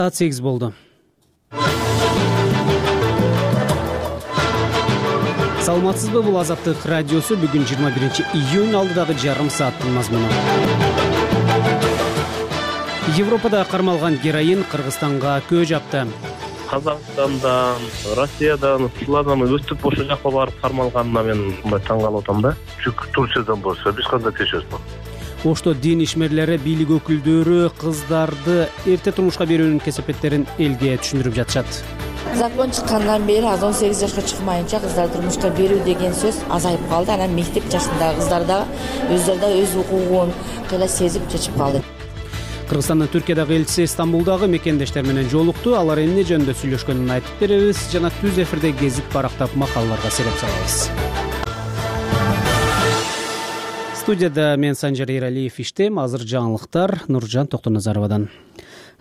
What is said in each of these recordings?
Saat 8 болду. Саламатсызбы, бул Азаттык радиосу. Бүгүн 21-июнь алдыдагы жарым сааттын мазмуну. Европада кармалган героин Кыргызстанга көө жапты. Казакстандан, Россиядан, Сулардан өстүп ошол жакка барып кармалганына мен мындай таң калып атам да. Чүнкү Турциядан болсо биз кандай текшерсек. Ошто дин ишмерлери, бийлик өкүлдөрү кыздарды эрте турмушка берүүнүн кесепеттерин элге түшүндүрүп жатышат. Закон чыккандан бери 18 жашка чыкмайынча кыздар турмушка берүү деген сөз азайып калды. Анан мектеп жашындагы кыздар да өздөрү да өз укугун кыйла сезип чечип калды. Кыргызстандын Түркиядагы элчиси Стамбулдагы мекендештер менен жолукту. Алар эмне жөнүндө сүйлөшкөнүн айтып беребиз жана түз эфирде кезип барактап макалаларга сереп салабыз. Студияда мен Санжар Эралиев иштейм. Азыр жаңылыктар Нуржан Токтоназаровадан.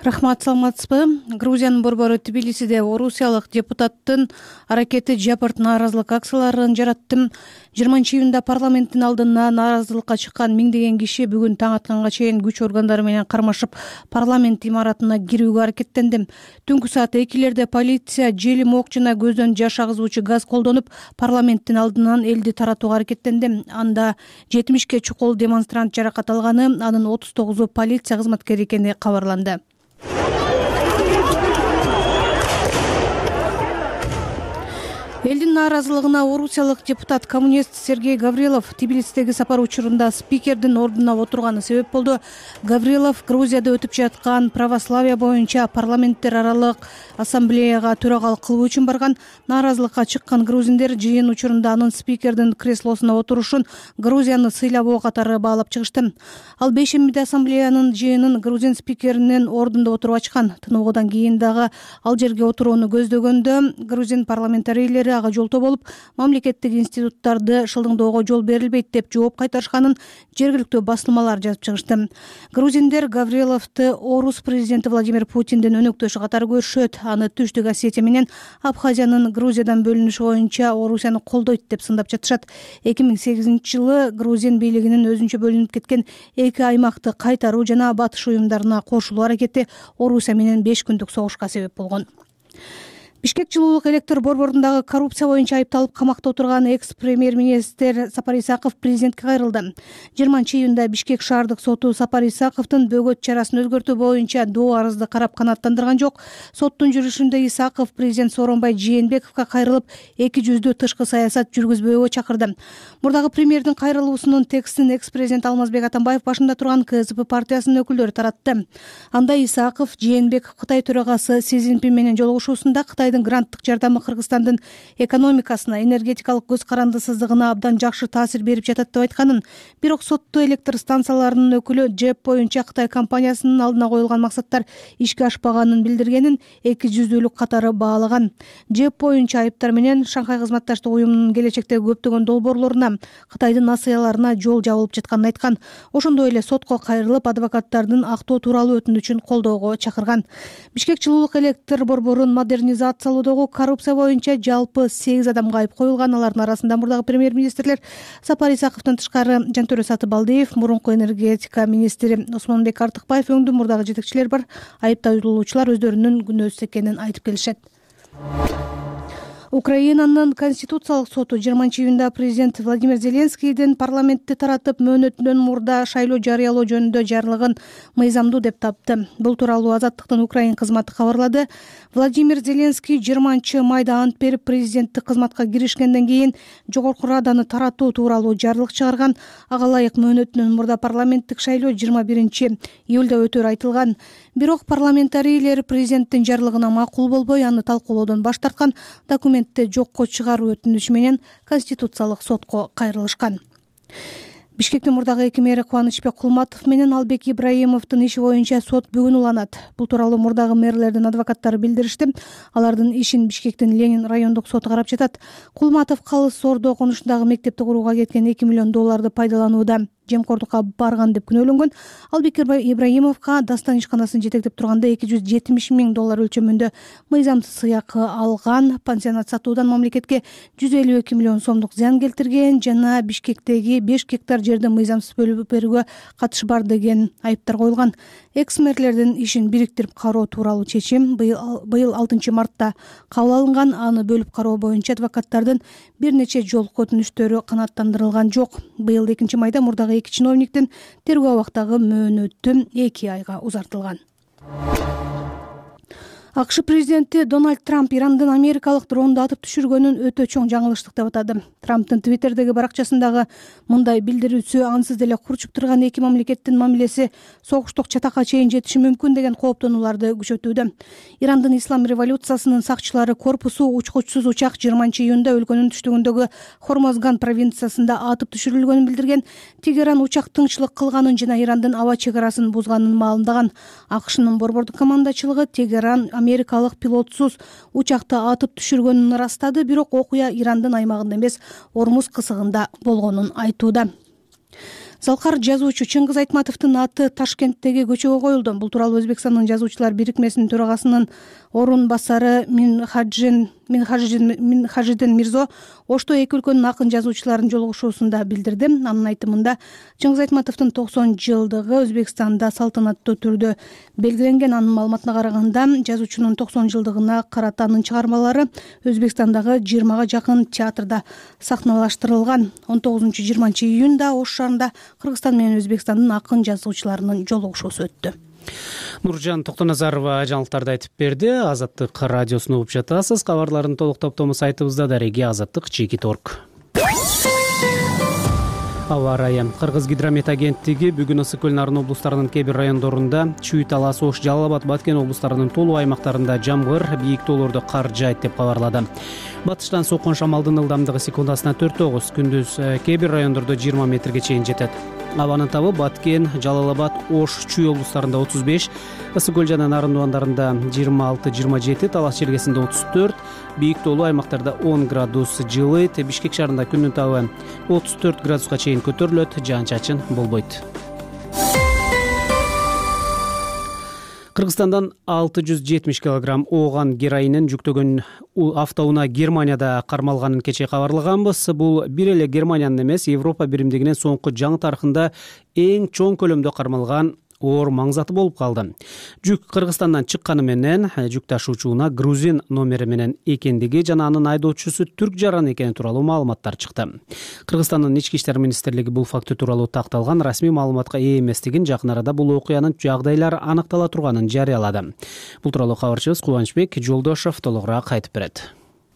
Рахмат, саламатсызбы? Грузиянын борбору Тбилисиде орусиялык депутаттын аракети жапырт нааразылык акцияларын жаратты. 20-июнда парламенттин алдына нааразылыкка чыккан миңдеген киши бүгүн таң атканга чейин күч органдары менен кармашып парламент имаратына кирүүгө аракеттенди. Түнкү саат 2-лерде полиция желим ок жана көздөн жаш агызуучу газ колдонуп парламенттин алдынан элди таратууга аракеттенди. Анда 70 чукул демонстрант жаракат алганы, анын 39-у полиция кызматкери экени кабарланды. Элдин нааразылыгына орусиялык депутат коммунист Сергей Гаврилов Тбилисидеги сапар учурунда спикердин ордуна отурганы себеп болду. Гаврилов Грузияда өтүп жаткан православие боюнча парламенттер аралык ассамблеяга төрагалык кылуу үчүн барган. Нааразылыкка чыккан грузиндер жыйын учурунда анын спикердин креслосуна отурушун Грузияны сыйлабоо катары баалап чыгышты. Ал бейшембиде ассамблеянын жыйынын грузин спикеринин ордунда отуруп ачкан. Тыныгуудан кийин дагы ал жерге отурууну көздөгөндө грузин парламентарийлери ага жолтоо болуп, мамлекеттик институттарды шылдыңдоого жол берилбейт деп жооп кайтарышканын жергиликтүү басылмалар жазып чыгышты. Грузиндер Гавриловду орус президенти Владимир Путиндин өнөктөшү катары көрүшөт. Аны Түштүк Осетия менен Абхазиянын Грузиядан бөлүнүшү боюнча Орусияны колдойт деп сындап жатышат. 2008-жылы грузин бийлигинин өзүнчө бөлүнүп кеткен эки аймакты кайтаруу жана батыш уюмдарына кошулуу аракети Орусия менен 5 күндүк согушка себеп болгон. Бишкек жылуулук электр борборундагы коррупция боюнча айыпталып камакта отурган экс-премьер-министр Сапар Исаков президентке кайрылды. 20-июнда Бишкек шаардык соту Сапар Исаковдун бөгөт чарасын өзгөртүү боюнча доо арызды карап канааттандырган жок. Соттун жүрүшүндө Исаков президент Сооронбай Жээнбековго кайрылып, эки жүздүү тышкы саясат жүргүзбөөгө чакырды. Мурдагы премьердин кайрылуусунун текстин экс-президент Алмазбек Атамбаев башында турган КСП партиясынын өкүлдөрү таратты. Анда Исаков Жээнбеков Кытай төрагасы Си Цзиньпин менен жолугушуусунда Кытайдын гранттык жардамы Кыргызстандын экономикасына, энергетикалык көз карандысыздыгына абдан жакшы таасир берип жатат деп айтканын, бирок соттуу электр станцияларынын өкүлү ЖЭП боюнча Кытай компаниясынын алдына коюлган максаттар ишке ашпаганын билдиргенин, эки жүздүүлүк катары баалаган. ЖЭП боюнча айыптар менен Шанхай кызматташтык уюмунун келечектеги көптөгөн долбоорлоруна, Кытайдын насыяларына жол жабылып жатканын айткан. Ошондой эле сотко кайрылып, адвокаттардын актоо тууралуу өтүнүчүн колдоого чакырган. Бишкек жылуулук электр борборун модернизациялоодогу коррупция боюнча жалпы 8 адамга айып коюлган. Алардын арасында мурдагы премьер-министрлер Сапар Исаковдон тышкары Жантөрө Сатыбалдиев, мурунку энергетика министри Осмонбек Артыкбаев өңдүү мурдагы жетекчилер бар. Айыпталуучулар өздөрүнүн күнөөсүз экенин айтып келишет. Украинанын Конституциялык соту 20-июнда президент Владимир Зеленскийдин парламентти таратып мөөнөтүнөн мурда шайлоо жарыялоо жөнүндө жарлыгын мыйзамдуу деп тапты. Бул тууралуу Азаттыктын Украин кызматы кабарлады. Владимир Зеленский 20-майда ант берип президенттик кызматка киришкенден кийин Жогорку Раданы таратуу тууралуу жарлык чыгарган. Ага ылайык мөөнөтүнөн мурда парламенттик шайлоо 21-июлда өтөөрү айтылган. Бирок парламентарийлер президенттин жарлыгына макул болбой, аны талкуулоодон баш тарткан. Документти жокко чыгаруу өтүнүчү менен Конституциялык сотко кайрылышкан. Бишкектин мурдагы эки мэри Кубанычбек Кулматов менен Албек Ибраимовдун иши боюнча сот бүгүн уланат. Бул тууралуу мурдагы мэрлердин адвокаттары билдиришти. Алардын ишин Бишкектин Ленин райондук соту карап жатат. Кулматов Калыс Ордо конушундагы мектепти курууга кеткен $2 миллион пайдаланууда жемкордукка барган деп күнөөлөнгөн. Албек Ибраимовго Дастан ишканасын жетектеп турганда $270 миң өлчөмүндө мыйзамсыз сыйакы алган, пансионат сатуудан мамлекетке $152 миллион зыян келтирген жана Бишкектеги 5 гектар жерди мыйзамсыз бөлүп берүүгө катышы бар деген айыптар коюлган. экс-мэрлердин ишин бириктирип кароо тууралуу чечим быйыл 6 мартта кабыл алынган. Аны бөлүп кароо боюнча адвокаттардын бир нече жолку өтүнүштөрү канааттандырылган жок. Быйыл 2 майда мурдагы 2 чиновниктин тергөө абактагы мөөнөтү 2 айга узартылган. АКШ президенти Дональд Трамп Ирандын америкалык дронду атып түшүргөнүн өтө чоң жаңылыштык деп атады. Трамптын Твиттердеги баракчасындагы мындай билдирүүсү ансыз деле курчуп турган эки мамлекеттин мамилеси согуштук чатакка чейин жетиши мүмкүн деген кооптонууларды күчөтүүдө. Ирандын ислам революциясынын сакчылары корпусу учкучсуз учак 20 июнда өлкөнүн түштүгүндөгү Хормозган провинциясында атып түшүрүлгөнүн билдирген. Тегеран учак тыңчылык кылганын жана Ирандын аба чек арасын бузганын маалымдаган. АКШнын борбордук командачылыгы Тегеран америкалык пилотсуз учакты атып түшүргөнүн ырастады, бирок окуя Ирандын аймагында эмес, Ормуз кысыгында болгонун айтууда. Залкар жазуучу Чыңгыз Айтматовдун аты Ташкенттеги көчөгө коюлду. Бул тууралуу Өзбекстандын жазуучулар бирикмесинин төрагасынын орун басары Минхажидин Мирзо Ошто эки өлкөнүн акын жазуучуларынын жолугушуусунда билдирди. Анын айтымында Чыңгыз Айтматовдун 90 жылдыгы Өзбекстанда салтанаттуу түрдө белгиленген. Анын маалыматына караганда, жазуучунун 90 жылдыгына карата анын чыгармалары Өзбекстандагы 20га жакын театрда сахналаштырылган. 19-20 июнда Ош шаарында Кыргызстан менен Өзбекстандын акын жазуучуларынын жолугушуусу өттү. Нуржан Токтоназарова жаңылыктарды айтып берди. Азаттык радиосун угуп жатасыз. Кабарлардын толук топтому сайтыбызда дареги azattik.org. Аба ырайы. Кыргыз гидромет агенттиги бүгүн Ысык көл Нарын облустарынын кээ бир райондорунда, Чүй, Талас, Ош, Жалал Абад, Баткен облустарынын толук аймактарында жамгыр, бийик тоолордо кар жаайт деп кабарлады. Батыштан соккон шамалдын ылдамдыгы секундасына 4-9, күндүз кээ бир райондордо 20 метрге чейин жетет. Абанын табы Баткен, Жалал Абад, Ош, Чүй облустарында 35, Ысык көл жана Нарын дубандарында 26-27, Талас чергесинде 34, бийик тоолуу аймактарда 10 градус жылыйт. Бишкек шаарында күндүн табы 34 градуска чейин көтөрүлөт, жаан-чачын болбойт. Кыргызстандан 670 кг ооган героинин жүктөгөн автоунаа Германияда кармалганын кечээ кабарлаганбыз. Бул бир эле Германиянын эмес, Европа биримдигинин соңку жаңы тарыхында эң чоң көлөмдө кармалган оор маңзаты болуп калды. Жүк Кыргызстандан чыкканы менен жүк ташуучу унаа грузин номери менен экендиги жана анын айдоочусу түрк жараны экени тууралуу маалыматтар чыкты. Кыргызстандын ички иштер министрлиги бул факты тууралуу такталган расмий маалыматка ээ эместигин, жакын арада бул окуянын жагдайлары аныктала турганын жарыялады. Бул тууралуу кабарчыбыз Кубанычбек Жолдошов толугураак айтып берет.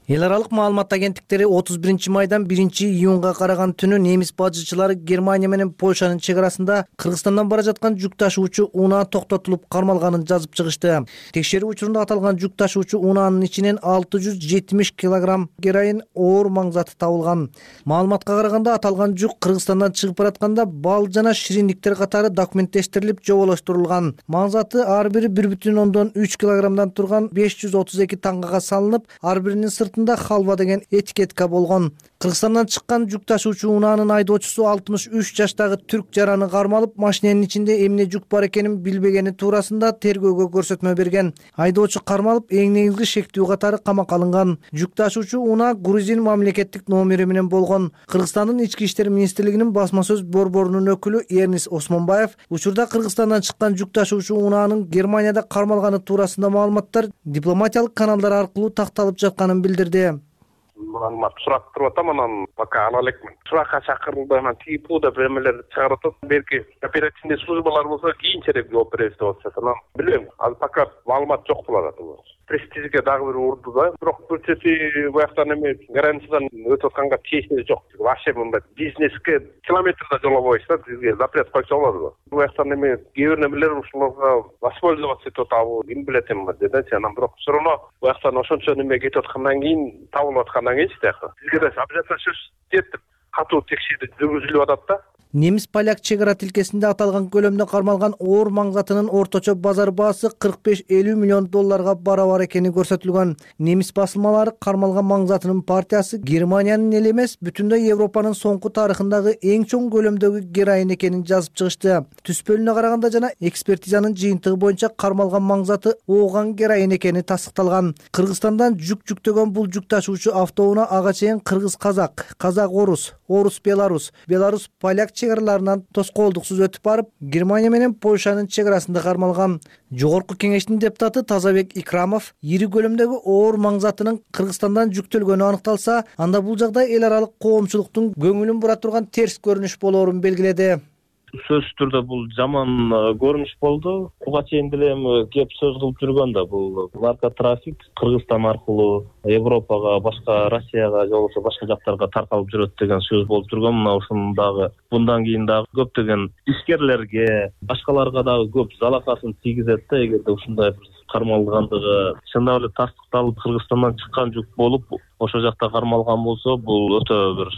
Эл аралык маалымат агенттиктери 31 майдан 1 июнга караган түнү немис бажычылары Германия менен Польшанын чек арасында Кыргызстандан бара жаткан жүк ташуучу унаа токтотулуп кармалганын жазып чыгышты. Текшерүү учурунда аталган жүк ташуучу унаанын ичинен 670 кг героин оор маңзаты табылган. Маалыматка караганда аталган жүк Кыргызстандан чыгып баратканда бал жана шириндиктер катары документтештирилип жоболоштурулган. Маңзаты ар бири 1,3 кг турган 532 тангага салынып, ар биринин халва деген этикетка болгон. Кыргызстандан чыккан жүк ташуучу унаанын айдоочусу 63 жаштагы түрк жараны кармалып, машиненин ичинде эмне жүк бар экенин билбегени туурасында тергөөгө көрсөтмө берген. Айдоочу кармалып, эң негизги шектүү катары камакка алынган. Жүк ташуучу унаа грузин мамлекеттик номери менен болгон. Кыргызстандын ички иштер министрлигинин басма сөз борборунун өкүлү Эрнис Осмонбаев учурда Кыргызстандан чыккан жүк ташуучу унаанын Германияда кармалганы туурасында маалыматтар дипломатиялык каналдар аркылуу такталып жатканын билдирди. Маалымат сурап туруп атам, анан пока ала элекмин. Суракка чакырылды, анан типуда бирмелерди чыгарып атат. Белки оперативный службалар болсо кийинчерээк жооп беребиз деп атышат. Анан билбейм, азыр пока маалымат жок болот. Престижге дагы бир урду да. Бирок бул жерде буяктан эме границадан өтүп атканга тиешеси жок. Вообще мындай бизнеске километрда жолобойсуз да, бизге запрет койсо болот. Буяктан эме кээ бир немелер ушуларга воспользоваться этип атабы, ким билет эми деденси. Анан бирок все равно буяктан ошончо неме кетип аткандан кийин, табылып аткандан кийин тияка бизге да обязательно сөз жетип катуу текшерүү жүргүзүлүп атат да. Немис-поляк чек ара тилкесинде аталган көлөмдө кармалган оор маңзатынын орточо базар баасы 45-50 миллион долларга барабар экени көрсөтүлгөн. Немис басылмалары кармалган маңзатынын партиясы Германиянын эле эмес, бүтүндөй Европанын соңку тарыхындагы эң чоң көлөмдөгү героин экенин жазып чыгышты. Түспөлүнө караганда жана экспертизанын жыйынтыгы боюнча кармалган маңзаты ооган героин экени тастыкталган. Кыргызстандан жүк жүктөгөн бул жүк ташуучу автоунаа ага чейин кыргыз-казак, казак-орус, орус-беларус, беларус-поляк чек араларынан тоскоолдуксуз өтүп барып, Германия менен Польшанын чек арасында кармалган. Жогорку кеңештин депутаты Тазабек Икрамов ири көлөмдөгү оор маң затынын Кыргызстандан жүктөлгөнү аныкталса, анда бул жагдай эл аралык коомчулуктун көңүлүн бура турган терс көрүнүш болоорун белгиледи. Сөзсүз түрдө бул жаман көрүнүш болду. Буга чейин деле кеп сөз кылып жүргөн да, бул наркотрафик Кыргызстан аркылуу Европага, башка Россияга же болбосо башка жактарга таркалып жүрөт деген сөз болуп жүргөн. Мына ушунун дагы мындан кийин дагы көптөгөн ишкерлерге, башкаларга дагы көп залакасын тийгизет да, эгерде ушундай бир кармалгандыгы чындап эле тастыкталып Кыргызстандан чыккан жүк болуп ошол жакта кармалган болсо, бул өтө бир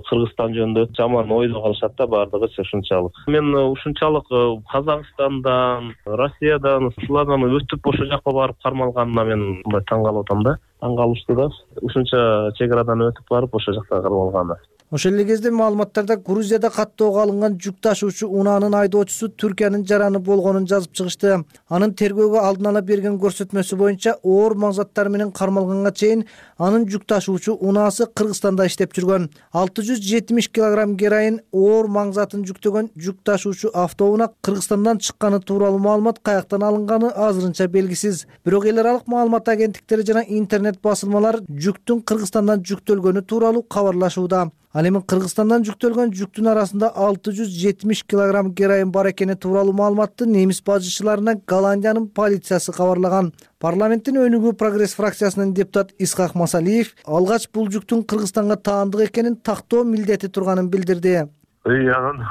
Кыргызстан жөнүндө жаман ойдо калышат да баардыгычы ушунчалык. Мен ушунчалык Казакстандан, Россиядан, ушулардан өтүп ошол жакка барып кармалганына мен мындай таң калып атам да. Таң калыштуу да. Ушунча чек арадан өтүп барып ошол жакта кармалганы. Ошол эле кезде маалыматтарда Грузияда каттоого алынган жүк ташуучу унаанын айдоочусу Түркиянын жараны болгонун жазып чыгышты. Анын тергөөгө алдын ала берген көрсөтмөсү боюнча оор маң заттары менен кармалганга чейин анын жүк ташуучу унаасы Кыргызстанда иштеп жүргөн. 670 килограмм героин оор маң затын жүктөгөн жүк ташуучу автоунаа Кыргызстандан чыкканы тууралуу маалымат каяктан алынганы азырынча белгисиз. Бирок эл аралык маалымат агенттиктери жана интернет басылмалар жүктүн Кыргызстандан жүктөлгөнү тууралуу кабарлашууда. Ал эми Кыргызстандан жүктөлгөн жүктүн арасында 670 килограмм героин бар экени тууралуу маалыматты немис бажычыларына Голландиянын полициясы кабарлаган. Парламенттин өнүгүү прогресс фракциясынын депутат Исхак Масалиев алгач бул жүктүн Кыргызстанга таандык экенин тактоо милдети турганын билдирди. Анан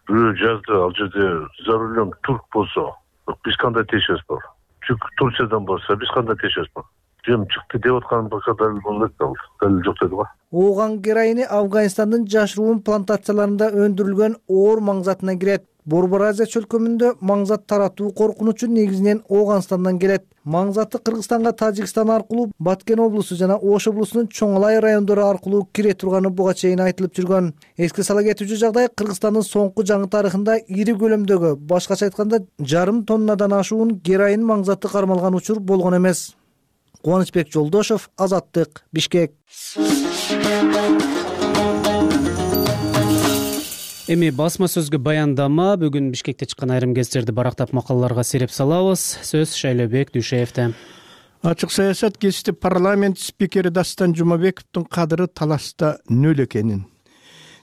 бирөө жазды, ал жерде за рулем турк болсо биз кандай тиешебиз бар? Жүк Турциядан болсо биз кандай тиешебиз бар? Жем чыкты деп аткан бака далил болот да, далил жок деди го. Ооган героини Афганистандын жашыруун плантацияларында өндүрүлгөн оор маң затына кирет. Борбор Азия чөлкөмүндө маң зат таратуу коркунучу негизинен Ооганстандан келет. Маң заты Кыргызстанга Тажикстан аркылуу Баткен облусу жана Ош облусунун Чоңалай райондору аркылуу кире турганы буга чейин айтылып жүргөн. Эске сала кетүүчү жагдай Кыргызстандын соңку жаңы тарыхында ири көлөмдөгү, башкача айтканда жарым тоннадан ашуун героин маң заты кармалган учур болгон эмес. Кубанычбек Жолдошов, Азаттык, Бишкек. Эми басма сөзгө баяндама. Бүгүн Бишкекте чыккан айрым гезиттерди барактап макалаларга сереп салабыз. Сөз Шайлообек Дүйшеевде. Ачык саясат гезити парламент спикери Дастан Жумабековдун кадыры талашта нөл экенин,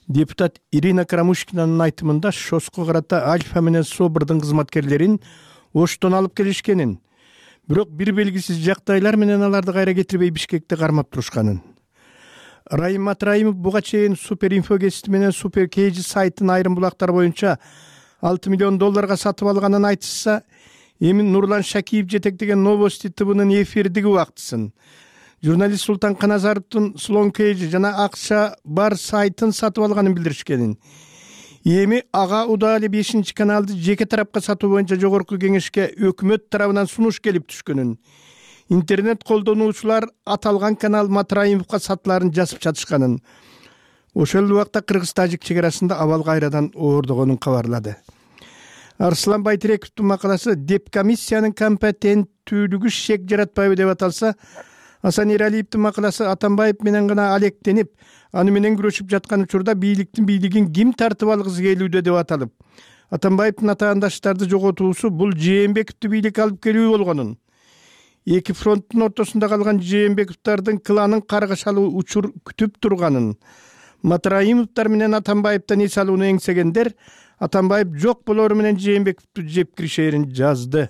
депутат Ирина Карамушкинанын айтымында ШОСко карата Альфа менен Собордун кызматкерлерин Оштон алып келишкенин, бирок бир белгисиз жагдайлар менен аларды кайра кетирбей Бишкекте кармап турушканын. Райым Матраимов буга чейин Суперинфо гезити менен Супер Кейжи сайтын айрым булактар боюнча $6 миллион сатып алганын айтышса, эми Нурлан Шакиев жетектеген Новости ТВнын эфирдиги убактысын, журналист Султан Каназаровдун Слон Кейжи жана акча бар сайтын сатып алганын билдиришкенин. Эми ага Удали 5-каналды жеке тарапка сатуу боюнча жогорку кеңешке өкмөт тарабынан сунуш келип түшкөнүн. Интернет колдонуучулар аталган канал Матраимовго сатыларын жазып жатышканын. Ошол убакта Кыргыз-Тажик чек арасында абал кайрадан оордогонун кабарлады. Арслан Байтирековдун макаласы Депкомиссиянын компетенттүүлүгү шек жаратпайбы деп аталса, Асан Эралиевдин макаласы Атамбаев менен гана алектенип, аны менен күрөшүп жаткан учурда бийлигин ким тартып алгысы келүүдө деп аталып, Атамбаевдин атаандаштарды жоготуусу бул Жээнбековду бийликке алып келүү болгонун, эки фронттун ортосунда калган Жээнбековдардын кланын каргашалуу учур күтүп турганын, Матраимовдор менен Атамбаевден эс алууну эңсегендер Атамбаев жок болору менен Жээнбековду жеп киришээрин жазды.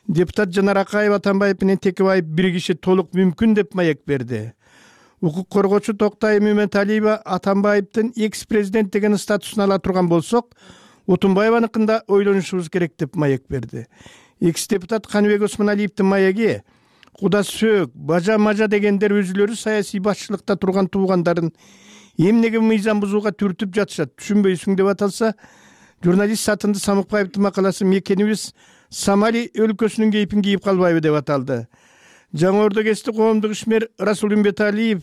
Депутат Жанар Акаева Атамбаев менен Текебаев биригиши толук мүмкүн деп маек берди. Укук коргоочу Токтай Мөмөталиева Атамбаевдин экс-президент деген статусун ала турган болсок, Отунбаеваныкында ойлонушубуз керек деп маек берди. Экс-депутат Каныбек Осмоналиевдин маеги куда сөөк, бажа-мажа дегендер өзүлөрү саясий башчылыкта турган туугандарын эмнеге мыйзам бузууга түртүп жатышат, түшүнбөйсүң деп аталса, журналист Сатынды Самыкбаевдин макаласы мекенибиз Сомали өлкөсүнүн кейпин кийип калбайбы деп аталды. Жаңы Ордо гезити коомдук ишмер Расул Үмбеталиев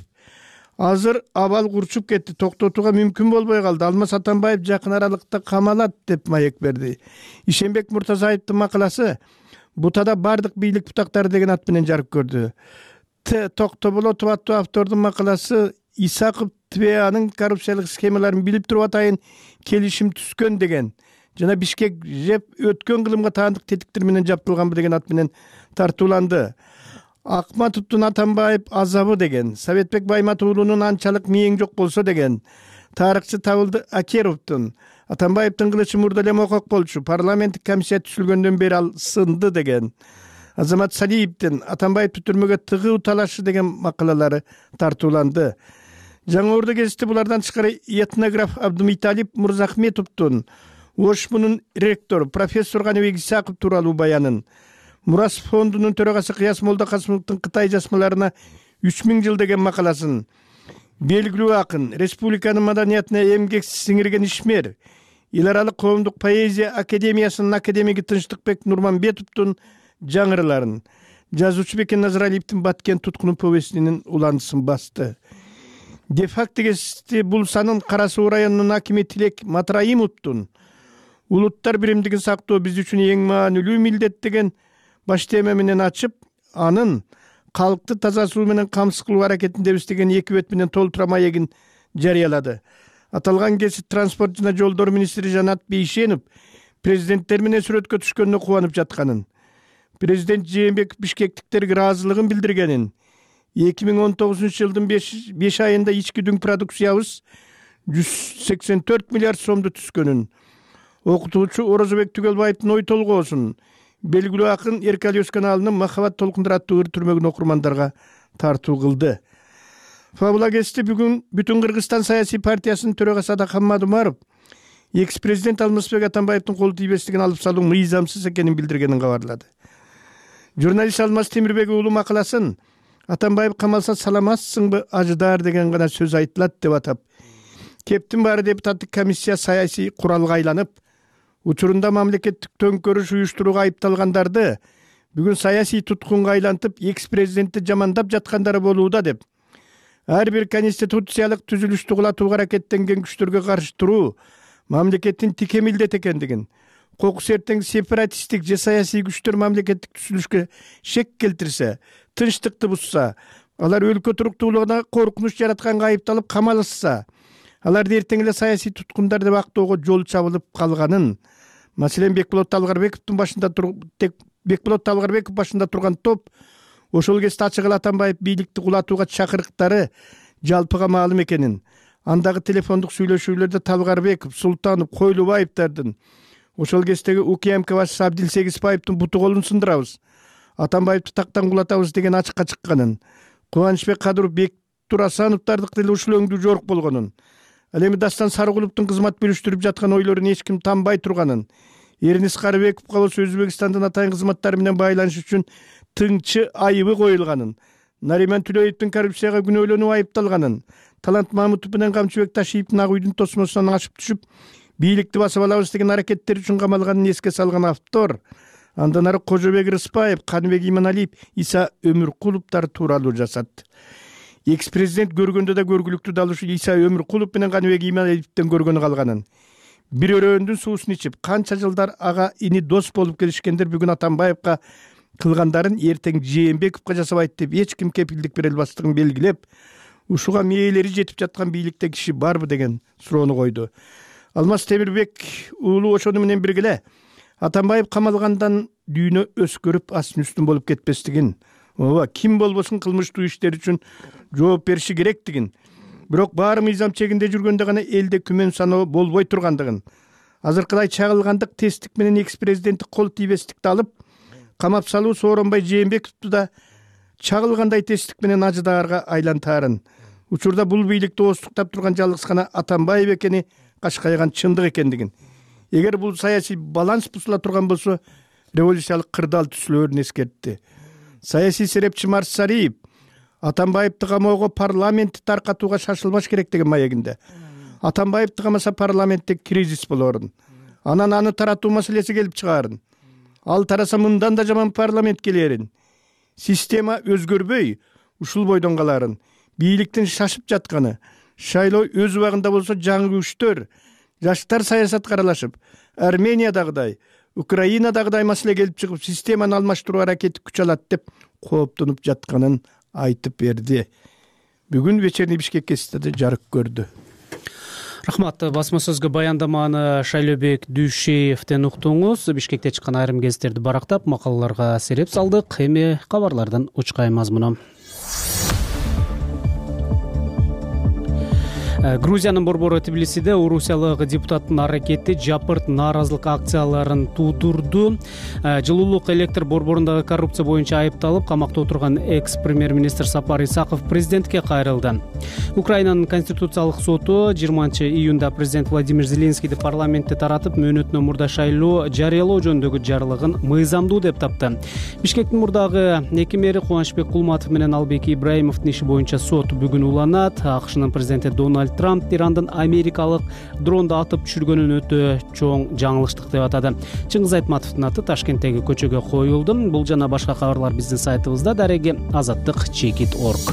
азыр абал курчуп кетти, токтотууга мүмкүн болбой калды. Алмаз Атамбаев жакын аралыкта камалат деп маек берди. Ишенбек Муртазаевдин макаласы Бутада бардык бийлик бутактары деген ат менен жарык көрдү. Токтоболотов аттуу автордун макаласы Исаков ТВАнын коррупциялык схемаларын билип туруп атайын келишим түзгөн деген жана Бишкек жеп өткөн кылымга таандык тетиктер менен жаптырылганбы деген ат менен тартууланды. Акматовдун Атамбаев азабы деген, Советбек Баймат уулунун анчалык мээң жок болсо деген, тарыхчы Табылды Акеровдун Атамбаевдин кылычы мурда эле окок болчу, парламенттик комиссия түзүлгөндөн бери ал сынды деген, Азамат Салиевдин Атамбаевди түрмөгө тыгуу талашы деген макалалары тартууланды. Жаңы Орду гезити булардан тышкары этнограф Абдумиталип Мурзахметовдун ОШМунун ректору профессор Каныбек Исаков тууралуу баянын, Мурас фондунун төрагасы Кыяс Молдокасымовдун Кытай жазмаларына 3000 жыл деген макаласын, белгилүү акын, республиканын маданиятына эмгек сиңирген ишмер, эл аралык коомдук поэзия академиясынын академиги Тынчтыкбек Нурманбетовдун жаңырыларын, жазуучу Бекен Назаралиевдин Баткен туткуну повестинин уландысын басты. Де-факто гезити бул санын Кара Суу районунун акими Тилек Матраимовдун улуттар биримдигин сактоо биз үчүн эң маанилүү милдет деген баш тема менен ачып, анын калкты таза суу менен камсыз кылуу аракетиндебиз деген 2 бет менен толтура маегин жарыялады. Аталган гезит транспорт жана жолдор министри Жанат Бейшенов президенттер менен сүрөткө түшкөнүнө кубанып жатканын, президент Жээнбеков бишкектиктерге ыраазылыгын билдиргенин, 2019-жылдын 5 айында ички дүң продукциябыз 184 миллиард сомду түзгөнүн, окутуучу Орозобек Түгөлбаевдин ой толгоосун, белгилүү акын Эркали Өскөналынын Махабат толкундар аттуу ыр түрмөгүн окурмандарга тартуу кылды. Фабула гезити бүгүн Бүтүн Кыргызстан саясий партиясынын төрагасы Адакан Мадумаров экс-президент Алмазбек Атамбаевдин кол тийбестигин алып салуу мыйзамсыз экенин билдиргенин кабарлады. Журналист Алмаз Темирбек уулу макаласын Атамбаев камалса саламатсыңбы ажыдар деген гана сөз айтылат деп атап, кептин баары депутаттык комиссия саясий куралга айланып, учурунда мамлекеттик төңкөрүш уюштурууга айыпталгандарды бүгүн саясий туткунга айлантып, экс-президентти жамандап жаткандары болууда деп, ар бир конституциялык түзүлүштү кулатууга аракеттенген күчтөргө каршы туруу мамлекеттин тике милдети экендигин, кокус эртең сепаратисттик же саясий күчтөр мамлекеттик түзүлүшкө шек келтирсе, тынчтыкты бузса, алар өлкө туруктуулугуна коркунуч жаратканга айыпталып камалышса, аларды эртең эле саясий туткундар деп актоого жол чабылып калганын, маселен Бекболот Талгарбековдун башында турган топ ошол кезде ачык эле Атамбаев бийликти кулатууга чакырыктары жалпыга маалым экенин, андагы телефондук сүйлөшүүлөрдө Талгарбеков, Султанов, Койлубаевдардын, ошол кездеги УКМК башчысы Абдилсегизбаевдин буту колун сындырабыз, Атамбаевди тактан кулатабыз деген ачыкка чыкканын, Кубанычбек Кадыров, Бектур Асановдардыкы деле ушул өңдүү жорук болгонун, ал эми Дастан Сарыгуловдун кызмат бөлүштүрүп жаткан ойлорун эч ким танбай турганын, Эрнис Карыбековго болсо Өзбекстандын атайын кызматтары менен байланыш үчүн тыңчы айыбы коюлганын, Нариман Түлөевдин коррупцияга күнөөлөнүп айыпталганын, Талант Мамутов менен Камчыбек Ташиевдин ак үйдүн тосмосунан ашып түшүп, бийликти басып алабыз деген аракеттери үчүн камалганын эске салган автор, андан ары Кожобек Рыспаев, Каныбек Иманалиев, Иса Өмүркуловдор тууралуу жазат. Экс-президент көргөндө да көргүлүктүү далушу Иса Өмүркулов менен Каныбек Иманалиевден көргөнү калганын, бир өрөөндүн суусун ичип, канча жылдар ага ини дос болуп келишкендер бүгүн Атамбаевга кылгандарын эртең Жээнбековго жасабайт деп эч ким кепилдик бере албастыгын белгилеп, ушуга мээлери жетип жаткан бийликте киши барбы деген суроону койду. Алмаз Темирбек уулу ошону менен биргеле Атамбаев камалгандан дүйнө өскөрүп астын үстүн болуп кетпестигин, ооба ким болбосун кылмыштуу иштер үчүн жооп бериши керектигин, бирок баары мыйзам чегинде жүргөндө гана элде күмөн саноо болбой тургандыгын, азыркыдай чагылгандык тесттик менен экс-президенттик кол тийбестикти алып камап салуу Сооронбай Жээнбековду да чагылгандай тесттик менен ажыдаарга айлантаарын, учурда бул бийликти оостуктап турган жалгыз гана Атамбаев экени кашкайган чындык экендигин, эгер бул саясий баланс бузула турган болсо революциялык кырдаал түзүлөрүн эскертти. Саясий серепчи Марсариев Атамбаевди камоого парламентти таркатууга шашылбаш керек деген маегинде. Атамбаевди камаса парламентте кризис болорун, анан аны таратуу маселеси келип чыгаарын, ал тараса мындан да жаман парламент келерин, система өзгөрбөй ушул бойдон каларын, бийликтин шашып жатканы, шайлоо өз убагында болсо жаңы күчтөр, жаштар саясатка аралашып, Армениядагыдай, Украинадагыдай маселе келип чыгып, системаны алмаштыруу аракети күч алат деп кооптонуп жатканын айтып берди. Бүгүн вечерний Бишкек гезитиде жарык көрдү. Рахмат. Басма сөзгө баяндаманы Шайлообек Дүйшеевден уктуңуз. Бишкекте чыккан айрым гезиттерди барактап, макалаларга сереп салдык. Эми кабарлардан учкай мазмуну. Грузиянын борбору Тбилисиде орусиялык депутаттын аракети жапырт нааразылык акцияларын туудурду. Жылуулук электр борборундагы коррупция боюнча айыпталып, камакта отурган экс-премьер-министр Сапар Исаков президентке кайрылды. Украинанын конституциялык соту 20-июнда президент Владимир Зеленскийди парламентте таратып, мөөнөтүнөн мурда шайлоо жарыялоо жөнүндөгү жарлыгын мыйзамдуу деп тапты. Бишкектин мурдагы эки мэри Кубанычбек Кулматов менен Албек Ибраимовдун иши боюнча сот бүгүн уланат. АКШнын президенти Дональд Трамп Ирандын америкалык дронду атып түшүргөнүн өтө чоң жаңылыштык деп атады. Чыңгыз Айтматовдун аты Ташкенттеги көчөгө коюлду. Бул жана башка кабарлар биздин сайтыбызда, дареги azаттык.org.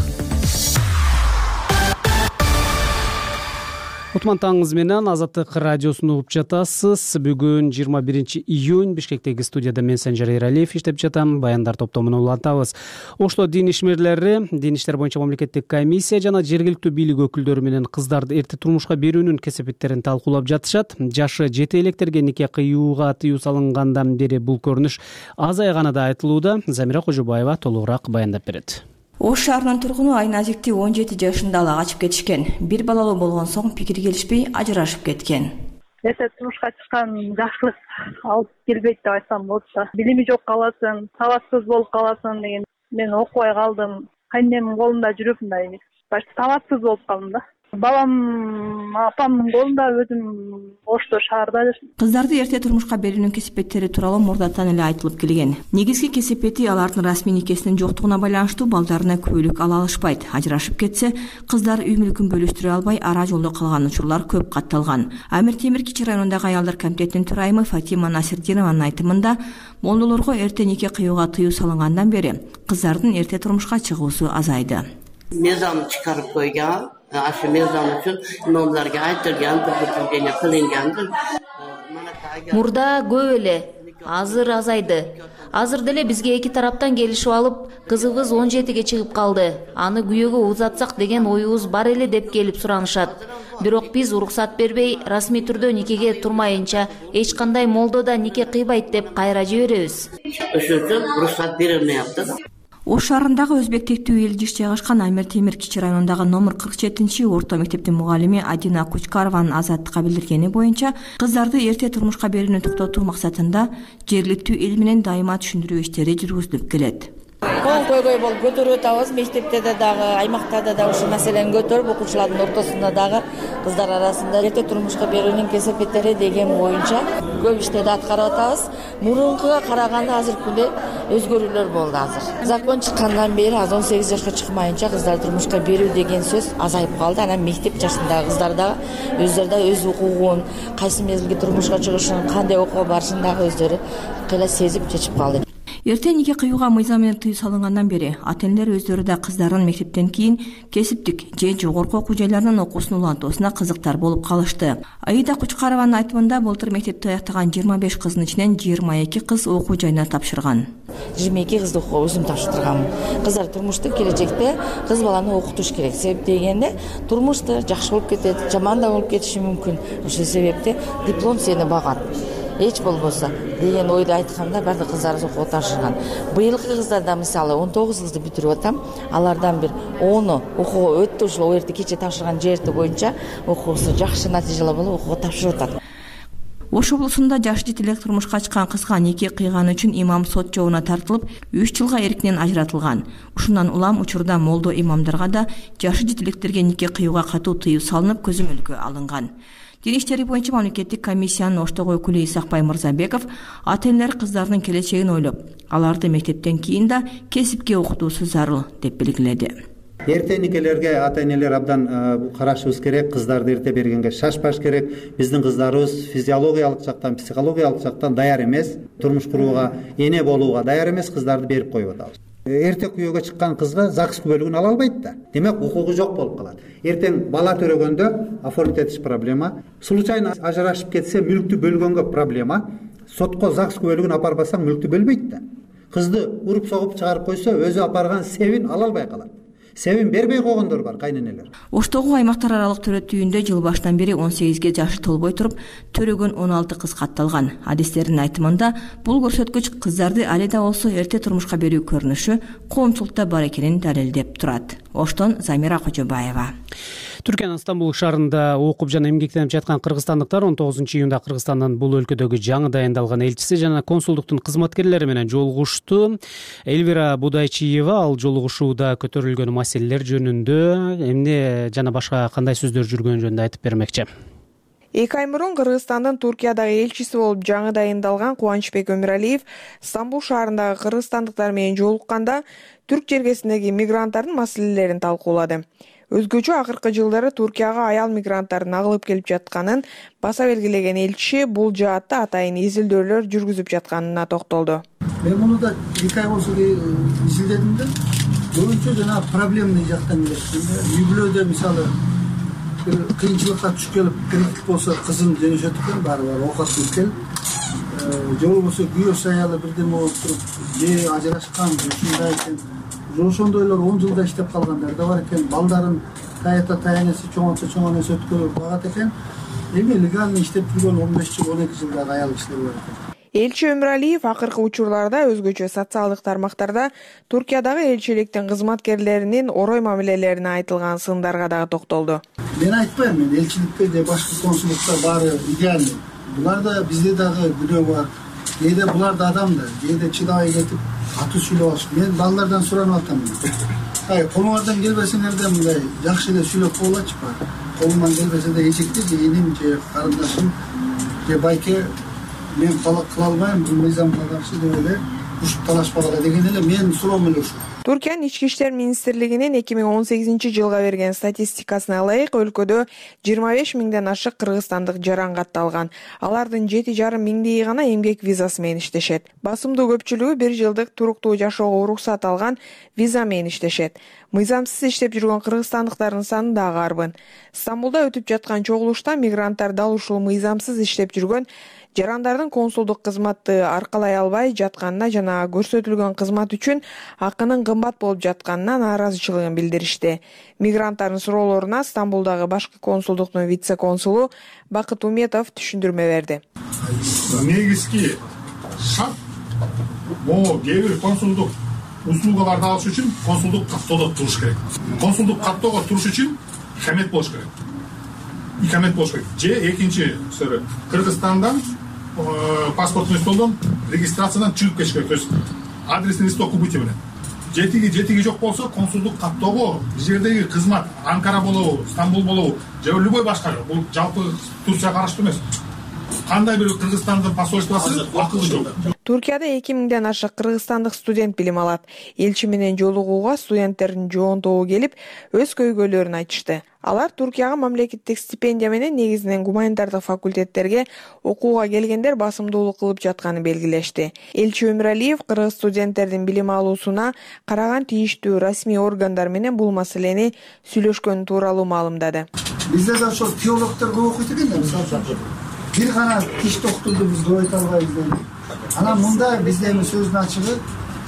Утмантаңыз менен Азаттык радиосун угуп жатасыз. Бүгүн 21-июнь Бишкектеги студияда мен Санжар Эралиев иштеп жатам. Баяндар топтомун улантабыз. Ошто дин ишмерлери, дин иштер боюнча мамлекеттик комиссия жана жергиликтүү бийлик өкүлдөрү менен кыздарды эрте турмушка берүүнүн кесепеттерин талкуулап жатышат. Жашы жете электерге нике кыюуга тыюу салынгандан бери бул көрүнүш азайганы да айтылууда. Замира Кожобаева толугураак баяндап берет. Ош шаарынын тургуну Айназикти 17 жашында ала качып кетишкен. Бир балалуу болгон соң пикир келишпей ажырашып кеткен. Эрте турмушка чыккан жакшылык алып келбейт деп айтсам болот да. Билими жок каласың, сабатсыз болуп каласың деген. Мен окубай калдым. Кайнемдин колунда жүрүп мындай сабатсыз болуп калдым да. Балам апамдын колунда, өзүм Ошто шаарда жашайм. Кыздарды эрте турмушка берүүнүн кесепеттери тууралуу мурдатан эле айтылып келген. Негизги кесепети алардын расмий никесинин жоктугуна байланыштуу балдарына күбөлүк ала алышпайт. Ажырашып кетсе, кыздар үй мүлкүн бөлүштүрө албай ара жолдо калган учурлар көп катталган. Амир Темир Кичи районундагы аялдар комитетинин төрайымы Фатима Насирдинованын айтымында, молдолорго эрте нике кыюуга тыюу салынгандан бери кыздардын эрте турмушка чыгуусу азайды. Мезон чыгарып койгон. Aşı mezon üçün imamlarga aytılgan, türkütülgene kılıngandır. Murda көп эле, азыр азайды. Азыр деле бизге эки тараптан келишип алып, кызыбыз 17ге чыгып калды. Аны күйөөгө узатсак деген оюбуз бар эле деп келип суранышат. Бирок биз уруксат бербей, расмий түрдө никеге турмайынча, эч кандай молдо да нике кыйбайт деп кайра жиберебиз. Ошол үчүн уруксат берилмейапты. Ош шаарындагы өзбек тектүү эл жиш жайгашкан Амир Темир Кичи районундагы номер 47 орто мектептин мугалими Адина Кучкарованын Азаттыкка билдиргени боюнча, кыздарды эрте турмушка берүүнү токтотуу максатында жергиликтүү эл менен дайыма түшүндүрүү иштери жүргүзүлүп келет. Кол көйгөй болуп көтөрүп атабыз. Мектепте дагы, аймактарда да ушул маселени көтөрүп, окуучулардын ортосунда дагы кыздар арасында эрте турмушка берүүнүн кесепеттери деген боюнча көп иштерди аткарып атабыз. Мурункуга караганда азыркы күндө өзгөрүүлөр болду азыр. Закон чыккандан бери 18 жашка чыкмайынча кыздар турмушка берүү деген сөз азайып калды. Анан мектеп жашындагы кыздар да өздөрү да өз укугун, кайсы мезгилде турмушка чыгышын, кандай окууга барышын дагы өздөрү кыйла сезип чечип калды. Эрте нике кыюуга мыйзам менен тыюу салынгандан бери ата-энелер өздөрү да кыздарын мектептен кийин кесиптик же жогорку окуу жайларынын окуусун улантуусуна кызыктар болуп калышты. Аида Кучкарованын айтымында былтыр мектепти аяктаган 25 кыздын ичинен 22 кыз окуу жайына тапшырган. 22 кызды өзүм тапшыртырганмын. Кыздар турмушту келечекте кыз баланы окутуш керек. Себеп дегенде турмушта жакшы болуп кетет, жаман да болуп кетиши мүмкүн. Ошол себепте диплом сени багат. Эч болбосо деген ойду айтканда бардык кыздарыбыз окууга тапшырган. Быйылкы кыздарда мисалы 19 кызды бүтүрүп атам. Алардан бир 10 окууга өттү, ошол эрте кече тапшырган жерти боюнча окуусу жакшы натыйжалар болуп окууга тапшырып атат. Ош облусунда жаш жетелек турмушка чыккан кызга нике кыйганы үчүн имам сот жообуна тартылып, 3 жылга эркинен ажыратылган. Ушундан улам учурда молдо имамдарга да жашы жетелектерге нике кыюуга катуу тыюу салынып, көзөмөлгө алынган. Дин иштери боюнча мамлекеттик комиссиянын Оштогу өкүлү Исакбай Мырзабеков ата-энелер кыздардын келечегин ойлоп, аларды мектептен кийин да кесипке окутуусу зарыл деп белгиледи. Эрте никелерге ата-энелер абдан карашыбыз керек, кыздарды эрте бергенге шашпаш керек. Биздин кыздарыбыз физиологиялык жактан, психологиялык жактан даяр эмес, турмуш курууга, эне болууга даяр эмес, кыздарды берип коюп атабыз. Эрте күйөөгө чыккан кызга ЗАГС күбөлүгүн ала албайт да. Демек, укугу жок болуп калат. Эртең бала төрөгөндө оформить этиш проблема, случайно ажырашып кетсе мүлктү бөлгөнгө проблема, сотко ЗАГС күбөлүгүн апарбасаң мүлктү бөлбөйт да. Кызды уруп согуп чыгарып койсо, өзү апарган себин ала албай калат. себебин бербей койгондор бар кайненелер. Оштогу аймактар аралык төрөтүүндө жыл башынан бери 18ге жашы толбой туруп төрөгөн 16 кыз катталган. Адистердин айтымында бул көрсөткүч кыздарды али да болсо эрте турмушка берүү көрүнүшү коомчулукта бар экенин далилдеп турат. Оштон Замира Кожобаева. Түркиянын Стамбул шаарында окуп жана эмгектенип жаткан кыргызстандыктар 19-июнда Кыргызстандын бул өлкөдөгү жаңы дайындалган элчиси жана консулдуктун кызматкерлери менен жолугушту. Элвира Будайчиева ал жолугушууда көтөрүлгөн маселелер жөнүндө эмне жана башка кандай сөздөр жүргөнү жөнүндө айтып бермекчи. 2 ай мурун Кыргызстандын Туркиядагы элчиси болуп жаңы дайындалган Кубанычбек Өмүралиев Стамбул шаарындагы кыргызстандыктар менен жолукканда түрк жергесиндеги мигранттардын маселелерин талкуулады. Өзгөчө акыркы жылдары Туркияга аял мигранттардын агылып келип жатканын баса белгилеген элчи бул жаатта атайын изилдөөлөр жүргүзүп жатканына токтолду. Мен муну да 2 ай болсо изилдедим да, көбүнчө жана проблемный жактан келет. Үй-бүлөдө мисалы кыйынчылыкка түшүп келип кредит болсо кызын жөнөшөт экен, баары оокат кылып келип, же болбосо күйөөсү аялы бирдеме болуп туруп, же ажырашкан, ушундай экен. Ошондойлор 10 жылда иштеп калгандар да бар экен. Балдарын таянеси чоңойтө өткөрүп багат экен. Эми легально иштеп жүргөн 15 жыл, 12 жылдагы аял кишилер бар экен. Элчи Өмүралиев акыркы учурларда өзгөчө социалдык тармактарда Туркиядагы элчиликтин кызматкерлеринин орой мамилелерине айтылган сындарга дагы токтолду. Мен айтпайм, мен элчиликте же башка консулдукта баары идеальный. Буларда бизде дагы күнөө бар. Кээде булар да адам да, кээде чыдабай кетип катуу сүйлөп алышып. Мен балдардан суранып атам. Колуңардан келбесеңер да мындай жакшы эле сүйлөп койгулачы. Колуман келбесе да эчекте же иним же карындашым же байке мен кыла албайм, бул мыйзамга каршы деп эле ушуп талашпагыла деген эле менин суроом эле ушул. Туркиянын Ички иштер министрлигинин 2018-жылга берген статистикасына ылайык өлкөдө 25 миңден ашык кыргызстандык жаран катталган. Алардын 7,5 миңдеги гана эмгек визасы менен иштешет. Басымдуу көпчүлүгү 1 жылдык туруктуу жашоого уруксат алган виза менен иштешет. Мыйзамсыз иштеп жүргөн кыргызстандыктардын саны дагы арбын. Стамбулда өтүп жаткан чогулушта мигранттар дал ушул мыйзамсыз иштеп жүргөн жарандардын консулдук кызматты аркалай албай жатканына жана көрсөтүлгөн кызмат үчүн акынын кымбат болуп жатканына нааразычылыгын билдиришти. Мигранттардын суроолоруна Стамбулдагы башкы консулдуктун вице-консулу Бакыт Уметов түшүндүрмө берди. Негизги шарт могу кээ бир консулдук услугаларды алыш үчүн консулдук каттоодо туруш керек. Консулдук каттоого туруш үчүн икамет болуш керек. Икамет болуш керек. Же экинчи Кыргызстандан паспортный столдон регистрациядан чыгып кетиш керек. То есть адресный листок убытия менен. Жетиги жок болсо консулдук каттоого бул жердеги кызмат Анкара болобу, Стамбул болобу, же любой башка, бул жалпы Турция караштуу эмес. Кандай бир Кыргызстандын посольствосу акылы жок. Туркияда 2000ден ашык кыргызстандык студент билим алат. Элчи менен жолугууга студенттердин жоонтогу келип, өз көйгөйлөрүн айтышты. Алар Туркияга мамлекеттик стипендия менен негизинен гуманитардык факультеттерге окууга келгендер басымдуулук кылып жатканын белгилешти. Элчи Өмүралиев кыргыз студенттердин билим алуусуна караган тийиштүү расмий органдар менен бул маселени сүйлөшкөн тууралуу маалымдады. Бизде да ошол теологдор көп окуйт экен да, мисалы. Бир гана тишти окутууну биз көп айта албайбыз. Анан мында бизде эми сөздүн ачыгы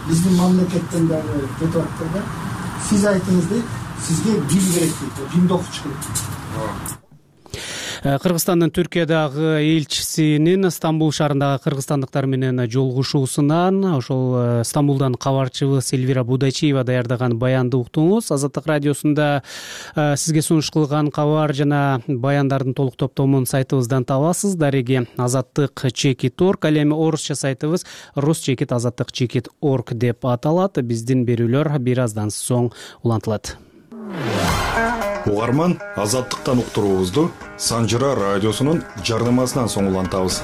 биздин мамлекеттен дагы кетип атты да. Сиз айтыңыз дейт, сизге бим керек дейт, бимди окутуш керек. Кыргызстандын Түркиядагы элчисинин Стамбул шаарындагы кыргызстандыктар менен жолугушуусунан ошол Стамбулдан кабарчыбыз Элвира Будайчиева даярдаган баянды уктуңуз. Азаттык радиосунда сизге сунуш кылган кабар жана баяндардын толук топтомун сайтыбыздан табасыз. Дареги azattik.org, ал эми орусча сайтыбыз rus-azattik.org деп аталат. Биздин берүүлөр бир аздан соң улантылат. Угарман, Азаттыктан уктуруубузду Санжыра радиосунун жардамасынан соң улантабыз.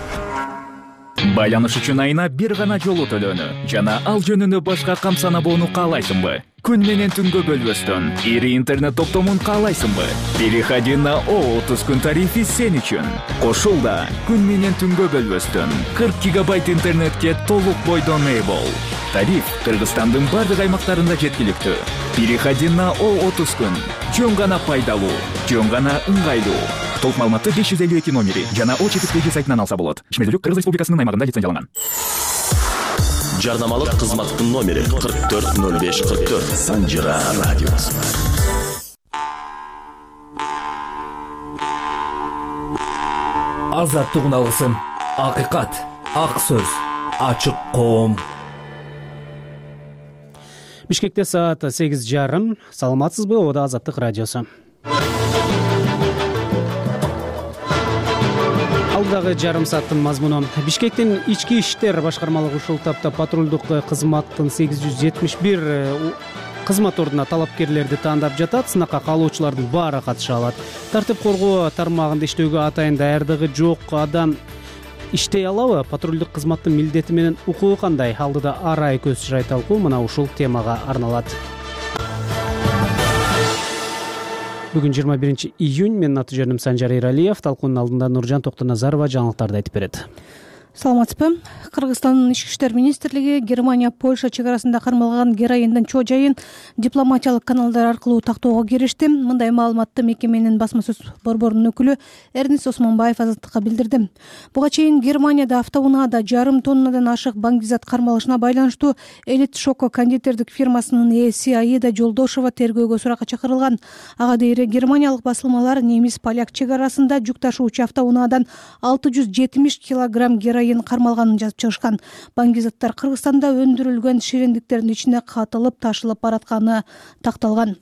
Байланыш үчүн айына бир гана жолу төлөнү жана ал жөнүндө башка камсанабоону каалайсыңбы? Күн менен түнгө бөлбөстөн ири интернет топтомун каалайсыңбы? Переходи на О30 күн тарифи сен үчүн. Кошулда күн менен түнгө бөлбөстөн 40 гигабайт интернетке толук бойдон ээ бол. Тариф Кыргызстандын бардык аймактарында жеткиликтүү. Переходи на О30 күн. Жөн гана пайдалуу, жөн гана ыңгайлуу. Толук маалыматты 552 номери жана О4 сайтынан алса болот. Ишмердүүлүк Кыргыз Республикасынын аймагында лицензияланган. Жарнамалык кызматтын номери 440544. Санжира радиосу. Азаттык алгысым, акыйкат, ак сөз, ачык коом. Бишкекте саат 8:30. Саламатсызбы? Ода Азаттык радиосу. Алдагы жарым сааттын мазмуну. Бишкектин ички иштер башкармалыгы ушул тапта патрулдук кызматтын 871 кызмат ордуна талапкерлерди тандап жатат. Сынакка каалоочулардын баары катыша алат. Тартип коргоо тармагында иштөөгө атайын даярдыгы жок адам иштей алабы? Патрулдук кызматтын милдети менен укугу кандай? Алдыда арай көз чырай талкуу мына ушул темага арналат. Бүгүн 21 июнь. Менин аты жөнүм Санжар Эралиев. Талкуунун алдында Нуржан Токтоназарова жаңылыктарды айтып берет. Саламатсызбы? Кыргызстандын ички иштер министрлиги Германия Польша чек арасында кармалган героиндин чоо жайын дипломатиялык каналдар аркылуу тактоого киришти. Мындай маалыматты мекеменин басма сөз борборунун өкүлү Эрнис Осмонбаев Азаттыкка билдирди. Буга чейин Германияда автоунаада жарым тоннадан ашык баңгизат кармалышына байланыштуу Элит Шоко кондитердик фирмасынын ээси Аида Жолдошова тергөөгө суракка чакырылган. Ага дейре германиялык басылмалар немис-поляк чек арасында жүк ташуучу автоунаадан 670 килограмм героин кармалганын жазып чыгышкан. Баңгизаттар Кыргызстанда өндүрүлгөн ширендиктердин ичине катылып ташылып баратканы такталган.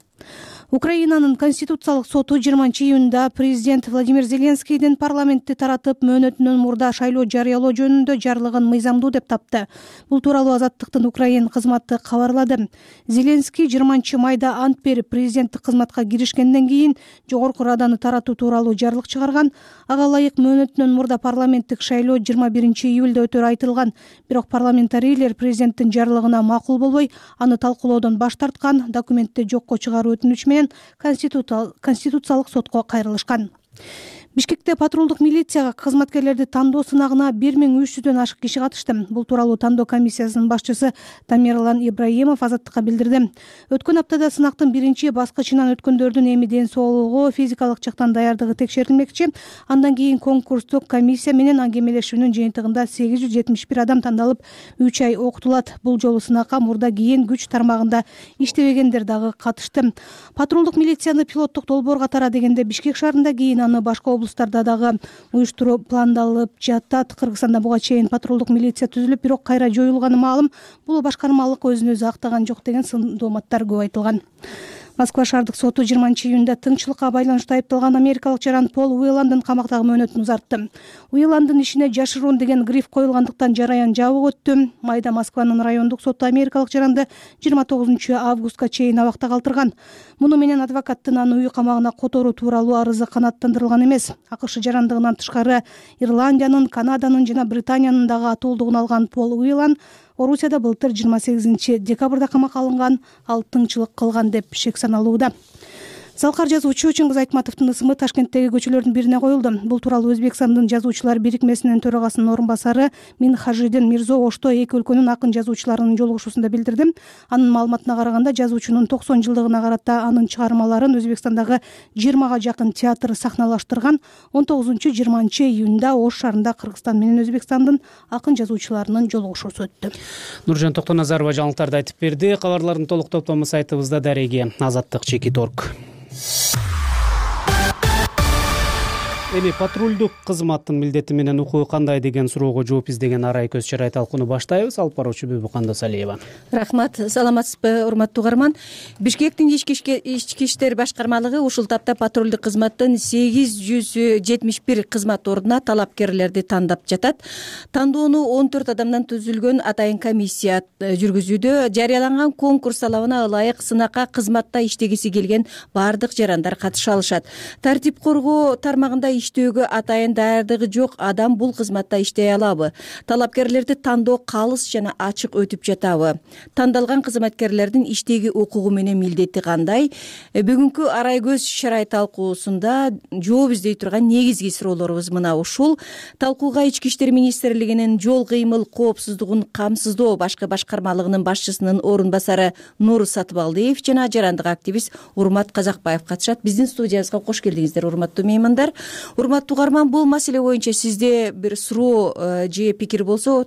Украинанын Конституциялык соту 20 июнда президент Владимир Зеленскийдин парламентти таратып мөөнөтүнөн мурда шайлоо жарыялоо жөнүндө жарлыгын мыйзамдуу деп тапты. Бул тууралуу Азаттыктын Украин кызматы кабарлады. Зеленский 20 майда ант берип президенттик кызматка киришкенден кийин Жогорку Раданы таратуу тууралуу жарлык чыгарган. Ага ылайык мөөнөтүнөн мурда парламенттик шайлоо 21 июлда өтөрү айтылган. Бирок парламентарийлер президенттин жарлыгына макул болбой, аны талкуулоодон баш тарткан. Документти жокко чыгаруу өтүнүчү менен Конституциялык сотко кайрылышкан. Бишкекте патрулдук милицияга кызматкерлерди тандоо сынагына 1300дөн ашык киши катышты. Бул тууралуу тандоо комиссиясынын башчысы Тамерлан Ибраимов Азаттыкка билдирди. Өткөн аптада сынактын биринчи баскычынан өткөндөрдүн эми ден соолугу, физикалык жактан даярдыгы текшерилмекчи. Андан кийин конкурстук комиссия менен аңгемелешүүнүн жыйынтыгында 871 адам тандалып, 3 ай окутулат. Бул жолу сынакка мурда кийин күч тармагында иштебегендер дагы катышты. Патрулдук милицияны пилоттук долбоорго тара дегенде Бишкек шаарында, кийин аны башка облустарда дагы уюштуруу пландалып жатат. Кыргызстанда буга чейин патрулдук милиция түзүлүп, бирок кайра жоюлганы маалым. Бул башкармалык өзүн өзү актаган жок деген сын дооматтар көп айтылган. Москва шаардык соту 20 июнда тынччылыкка байланыштуу айыпталган америкалык жаран Пол Уэлландын камактагы мөөнөтүн узартты. Уэлландын ишине жашыруун деген гриф коюлгандыктан жараян жабык өттү. Майда Москванын райондук соту америкалык жаранды 29 августка чейин абакта калтырган. Муну менен адвокаттын аны үй камагына которуу тууралуу арызы канааттандырылган эмес. АКШ жарандыгынан тышкары Ирландиянын, Канаданын жана Британиянын дагы атуулдугун алган Пол Уэлланд Орусияда былтыр 28 декабрда камакка алынган. Ал тыңчылык кылган деп шек саналууда. Залкар жазуучу Чыңгыз Айтматовдун ысымы Ташкенттеги көчөлөрдүн бирине коюлду. Бул тууралуу Өзбекстандын жазуучулар бирикмесинин төрагасынын орун басары Минхажидин Мирзо Ошто эки өлкөнүн акын жазуучуларынын жолугушуусунда билдирди. Анын маалыматына караганда жазуучунун 90 жылдыгына карата анын чыгармаларын Өзбекстандагы 20га жакын театр сахналаштырган. 19-20 июнда Ош шаарында Кыргызстан менен Өзбекстандын акын жазуучуларынын жолугушуусу өттү. Нуржан Токтоназарова жаңылыктарды айтып берди. Кабарлардын толук топтому сайтыбызда дареги azattik.org. Эми патрулдук кызматтын милдети менен укугу кандай деген суроого жооп издеген арай көз чырай талкууну баштайбыз. Алып баруучу Бүбүкан Досалиева. Рахмат, саламатсызбы урматтуу угарман. Бишкектин ички иштер башкармалыгы ушул тапта патрулдук кызматтын 871 кызмат ордуна талапкерлерди тандап жатат. Тандоону 14 адамдан түзүлгөн атайын комиссия жүргүзүүдө. Жарыяланган конкурс талабына ылайык сынакка кызматта иштегиси келген баардык жарандар катыша алышат. Тартип коргоо тармагында иштөөгө атайын даярдыгы жок адам бул кызматта иштей алабы? Талапкерлерди тандоо калыс жана ачык өтүп жатабы? Тандалган кызматкерлердин иштеги укугу менен милдети кандай? Бүгүнкү арай көз чырай талкуусунда жооп издей турган негизги суроолорубуз мына ушул. Талкууга Ички иштер министрлигинин жол кыймыл коопсуздугун камсыздоо башкы башкармалыгынын башчысынын орун басары Нур Сатыбалдиев жана жарандык активист Урмат Казакбаев катышат. Биздин студиябызга кош келдиңиздер, урматтуу меймандар. урматтуу угарман, бул маселе боюнча сизде бир суроо же пикир болсо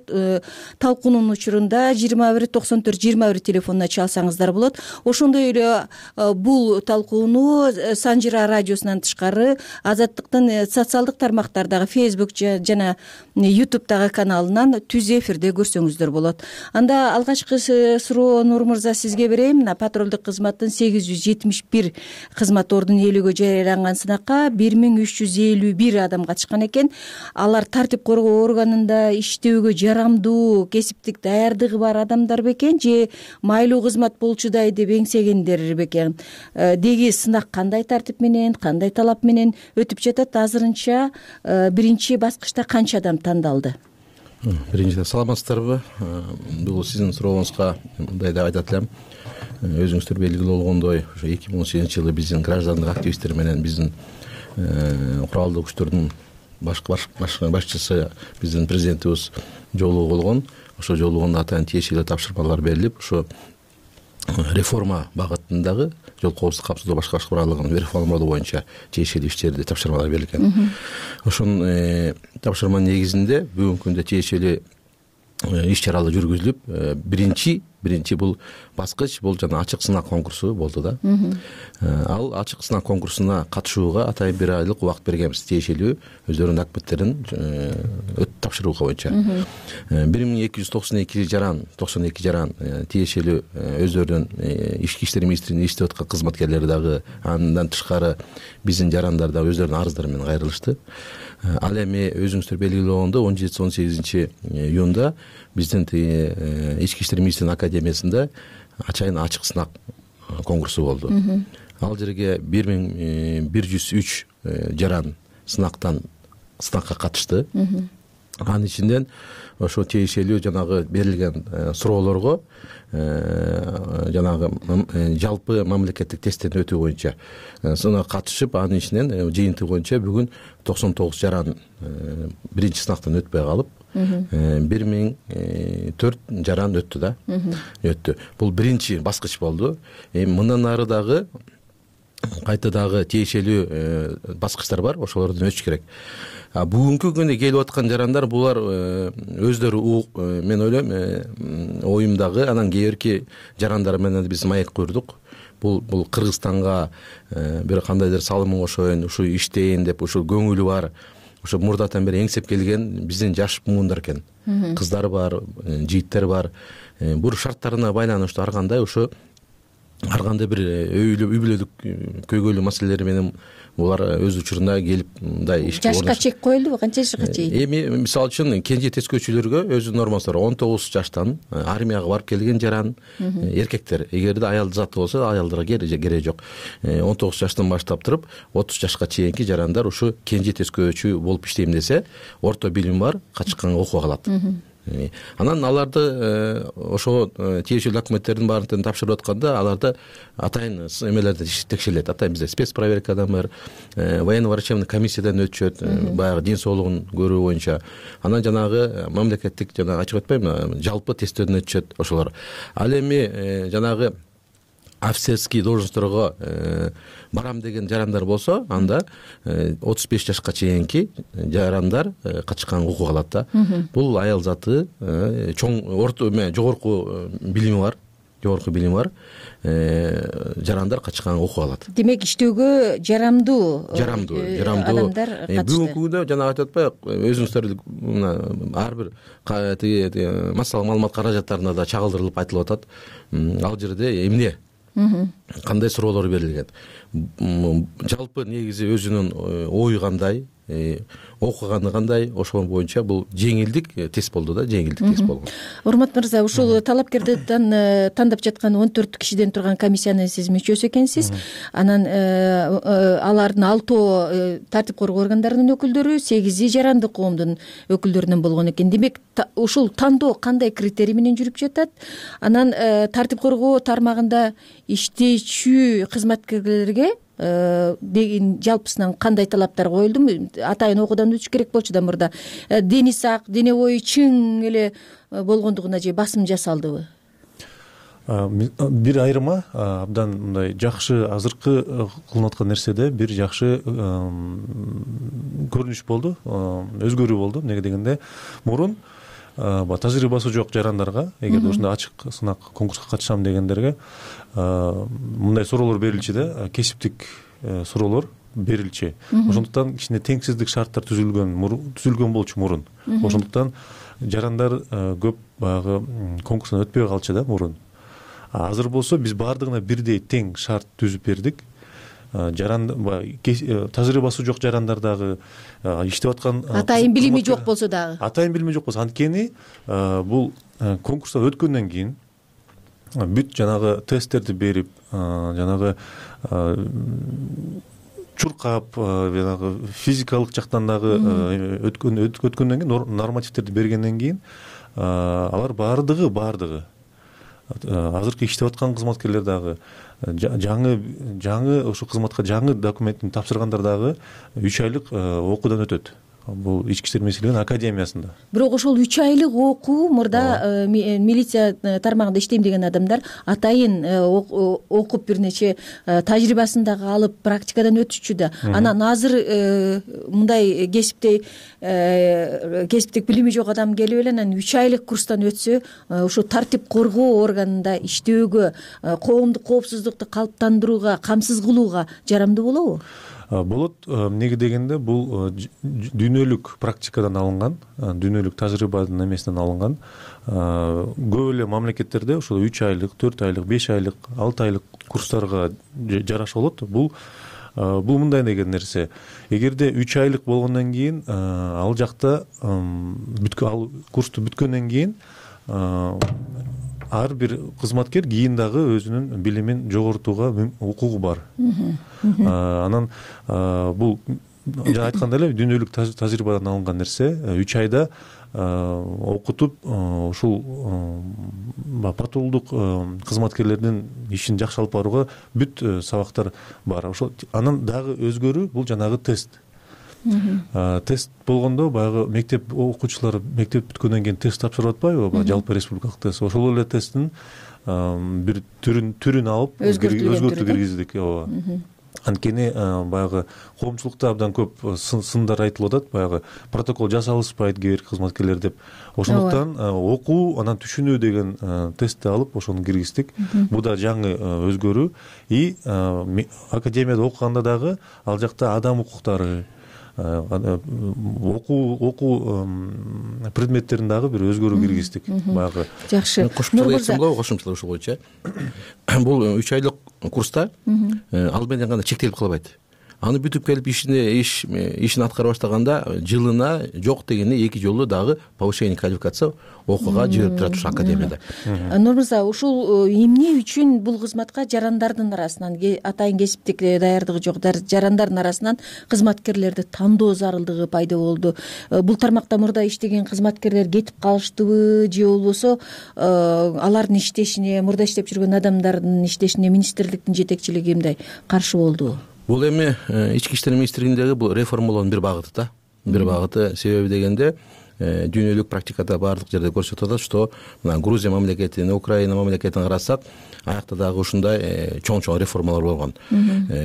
талкуунун учурунда 21-94-21 телефонуна чалсаңыздар болот. Ошондой эле бул талкууну Санжира радиосунан тышкары Азаттыктын социалдык тармактардагы Facebook жана YouTube'дагы каналынан түз эфирде көрсөңүздөр болот. Анда алгачкы суроо Нур мырза сизге берейин. Мына патрулдук кызматтын 871 кызмат ордун ээлөөгө жарыяланган сынакка 1351 адам катышкан экен. Алар тартип коргоо органында иштөөгө жарамдуу, кесиптик даярдыгы бар адамдар бекен же майлуу кызмат болчудай деп эңсегендер бекен? Деги сынак кандай тартип менен, кандай талап менен өтүп жатат? Азырынча биринчи баскычта канча адам тандалды? Биринчиден саламатсыздарбы? Бул сиздин сурооңузга мындай деп айтат элем. Өзүңүздөр белгилүү болгондой, ошо 2018-жылы биздин граждандык активисттер менен биздин куралдуу күчтөрдүн башчысы биздин президентибиз жолугуу болгон. Ошо жолугунда атайын тиешелүү тапшырмалар берилип, ошо реформа багытындагы жол коопсуздук капсыздоо башкарыш куралдыгынын реформалоо боюнча тиешелүү иштерди тапшырмалар берилген. Ошонун тапшырманын негизинде бүгүнкү күндө тиешелүү иш чаралар жүргүзүлүп, биринчи бул баскыч бул жана ачык сынак конкурсу болду да. Ал ачык сынак конкурсуна катышууга атайын 1 айлык убакыт бергенбиз, тиешелүү өздөрүнүн документтерин тапшырууга боюнча. 1292 жаран тиешелүү өздөрүнүн ички иштер министрлигинин иштеп аткан кызматкерлери дагы, андан тышкары биздин жарандар да өздөрүнүн арыздары менен кайрылышты. Ал эми өзүңүздөр белгилүү болгондой 17-18-июнда биздин ички иштер министрлигинин академиясында ачык сынак конкурсу болду. Ал жерге 1103 жаран сынакка катышты. Анын ичинен ошо тиешелүү жанагы берилген суроолорго жанагы жалпы мамлекеттик тесттен өтүү боюнча катышып, анын ичинен жыйынтыгы боюнча бүгүн 99 жаран биринчи сынактан өтпөй калып, 1004 жаран өттү да. Өттү. Бул биринчи баскыч болду. Мындан ары дагы кайта дагы тиешелүү баскычтар бар, ошолордон өтүш керек. Бүгүнкү күндө келип аткан жарандар булар өздөрү мен ойлойм оюмдагы анан кийинки жарандар менен биз маек курдук. Бул Кыргызстанга бир кандайдыр салымын кошоюн, ушу иштейин деп ушу көңүлү бар, ушу мурдатан бери эңсеп келген биздин жаш муундар экен. Кыздар бар, жигиттер бар. Бул шарттарына байланыштуу ар кандай бир үй бүлөлүк көйгөйлүү маселелери менен булар өз учурунда келип мындай ишке жашка чек коюлдубу? Канча жашка чейин? Эми мисалы үчүн кенже тескөөчүлөргө өзүнүн нормасы бар. 19 жаштан армияга барып келген жаран эркектер, эгерде аялды заты болсо аялдарга кереги жок. 19 жаштан баштап туруп 30 жашка чейинки жарандар ушу кенже тескөөчү болуп иштейм десе, орто билим бар, качканга окуга калат. Анан аларды ошо тиешелүү документтердин баарын тапшырып атканда аларды атайын эмелерде текшерилет. Атайын бизде спецпроверкадан бар, военно-врачебный комиссиядан өтүшөт, баягы ден соолугун көрүү боюнча. Анан жанагы мамлекеттик ачык өтпөйм, жалпы тесттөөдөн өтүшөт ошолор. Ал эми жанагы офицерский должностторго барам деген жарандар болсо, анда 35 жашка чейинки жарандар катышканга укук алат да. Бул аял заты чоң жогорку билими бар, жарандар катышканга укук алат. Демек иштөөгө жарамдуу адамдар катышты. Бүгүнкү күндө жана айтып атпайбы, өзүңүздөр ар бир массалык маалымат каражаттарына да чагылдырылып айтылып атат. Ал жерде эмне кандай суроолор берилген, жалпы негизи өзүнүн ою кандай, окуганы кандай, ошол боюнча бул жеңилдик тест болду да, тест болгон. Урмат мырза, ушул талапкерди тандап жаткан 14 кишиден турган комиссиянын сиз мүчөсү экенсиз. Анан алардын 6 тартип коргоо органдарынын өкүлдөрү, 8 жарандык коомдун өкүлдөрүнөн болгон экен. Демек ушул тандоо кандай критерий менен жүрүп жатат? Анан тартип коргоо тармагында иштечү кызматкерлерге жалпысынан кандай талаптар коюлду? Атайын окуудан өтүш керек болчу да мурда. Дени сак, дене бою чың эле болгондугуна же басым жасалдыбы? бир айырма абдан мындай жакшы азыркы кылынып аткан нерседе бир жакшы көрүнүш болду, өзгөрүү болду. Эмнеге дегенде мурун тажрыйбасы жок жарандарга, эгерде ушундай ачык сынак конкурска катышам дегендерге мындай суроолор берилчү да, кесиптик суроолор берилчү. Ошондуктан кичине теңсиздик шарттар түзүлгөн болчу мурун. Ошондуктан жарандар көп баягы конкурстан өтпөй калчу да мурун. Азыр болсо биз баардыгына бирдей тең шарт түзүп бердик. Тажрыйбасы жок жарандар дагы иштеп аткан, атайын билими жок болсо дагы, анткени бул конкурстан өткөндөн кийин бүт жанагы тесттерди берип, жанагы чуркап, жанагы физикалык жактан дагы өткөндөн кийин, нормативтерди бергенден кийин алар баардыгы азыркы иштеп аткан кызматкерлер дагы, жаңы ошол кызматка жаңы документин тапшыргандар дагы 3 айлык окуудан өтөт. Бул ички иштер министрлигинин академиясында. Бирок ошол 3 айлык окуу мурда милиция тармагында иштейм деген адамдар атайын окуп бир нече тажрыйбасын дагы алып практикадан өтүшчү да. Анан азыр мындай кесиптик билими жок адам келип эле анан 3 айлык курстан өтсө, ошо тартип коргоо органында иштөөгө, коомдук коопсуздукту калыптандырууга, камсыз кылууга жарамдуу болобу? Болот. Эмнеге дегенде бул дүйнөлүк практикадан алынган, дүйнөлүк тажрыйбанын эмесинен алынган. Көп эле мамлекеттерде ошол 3 айлык, 4 айлык, 5 айлык, 6 айлык курстарга жараша болот. Бул мындай деген нерсе. Эгерде 3 айлык болгондон кийин ал жакта ал курсту бүткөндөн кийин ар бир кызматкер кийин дагы өзүнүн билимин жогортууга укугу бар. Анан бул жана айткандай эле дүйнөлүк тажрыйбадан алынган нерсе. 3 айда окутуп ушул патрулдук кызматкерлердин ишин жакшы алып барууга бүт сабактар бар. Ошол анан дагы өзгөрүү бул жанагы тест. Тест болгондо баягы мектеп окуучулары мектеп бүткөндөн кийин тест тапшырып атпайбы? Жалпы республикалык тест. Ошол эле тесттин бир түрүн алып өзгөртүү киргиздик. Анткени баягы коомчулукта абдан көп сындар айтылып атат, баягы протокол жасалышпайт кээ бир кызматкерлер деп. Ошондуктан окуу, анан түшүнүү деген тестти алып ошону киргиздик. Бул да жаңы өзгөрүү. И академияда окуганда дагы ал жакта адам укуктары, окуу предметтерин дагы бир өзгөрүү киргиздик. Баягы жакшы. Кошумчалоо ушул боюнча. Бул 3 айлык курста ал менен гана чектелип калбайт. Аны бүтүп келип ишин аткара баштаганда жылына жок дегенде 2 жолу дагы повышение квалификация окууга жиберип турат ушул академияда. Нур мырза, ушул эмне үчүн бул кызматка жарандардын арасынан, атайын кесиптик даярдыгы жок жарандардын арасынан кызматкерлерди тандоо зарылдыгы пайда болду? Бул тармакта мурда иштеген кызматкерлер кетип калыштыбы же болбосо алардын иштешине, мурда иштеп жүргөн адамдардын иштешине министрликтин жетекчилиги мындай каршы болдубу? Бул эми ички иштер министрлигиндеги бул реформалоонун бир багыты да. Бир багыты себеби дегенде дүйнөлүк практикада баардык жерде көрсөтүп атат, что мына Грузия мамлекетине, Украина мамлекетине карасак, аякта дагы ушундай чоң реформалар болгон.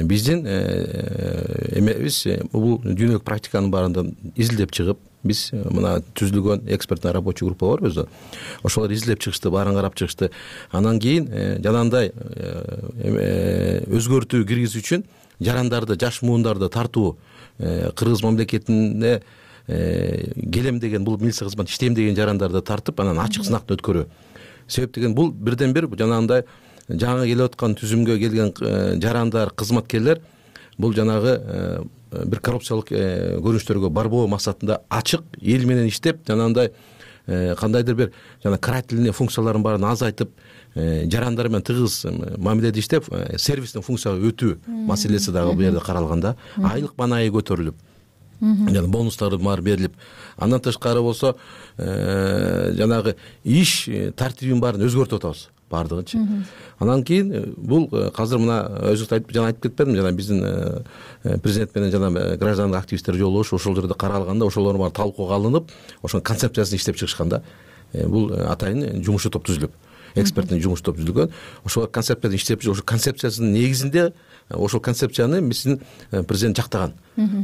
Биздин эмебиз бул дүйнөлүк практиканын баарын изилдеп чыгып, биз мына түзүлгөн экспертный рабочий группа бар өзү. Ошолор изилдеп чыгышты, баарын карап чыгышты. Анан кийин жанагындай өзгөртүү киргизүү үчүн жарандарды, жаш муундарды тартуу, Кыргыз мамлекетине келем деген, бул милиция кызмат иштейм деген жарандарды тартып, анан ачык сынактан өткөрүү. Себеп деген бул бирден бир жанагындай жаңы келип аткан түзүмгө келген жарандар, кызматкерлер бул жанагы бир коррупциялык көрүнүштөргө барбоо максатында ачык эл менен иштеп, жанагындай кандайдыр бир жана карательный функцияларын баарын азайтып, жарандар менен тыгыз мамиледе иштеп, сервистин функцияга өтүү маселеси дагы бул жерде каралганда, айлык банайы көтөрүлүп, жана бонустары бар берилип, андан тышкары болсо жанагы иш тартибин баарын өзгөртүп атабыз баардыгынчы. Анан кийин бул азыр мына өзү жана айтып кетпедимби, жана биздин президент менен жана граждандык активисттер жолугуш ошол жерде каралганда, ошолор баары талкууга алынып, ошонун концепциясын иштеп чыгышканда бул атайын жумушчу топ түзүлүп. эксперттин жумуш топ түзүлгөн. Ошол концепцияны иштеп жүр. Ошол концепциясынын негизинде ошол концепцияны биздин президент жактаган.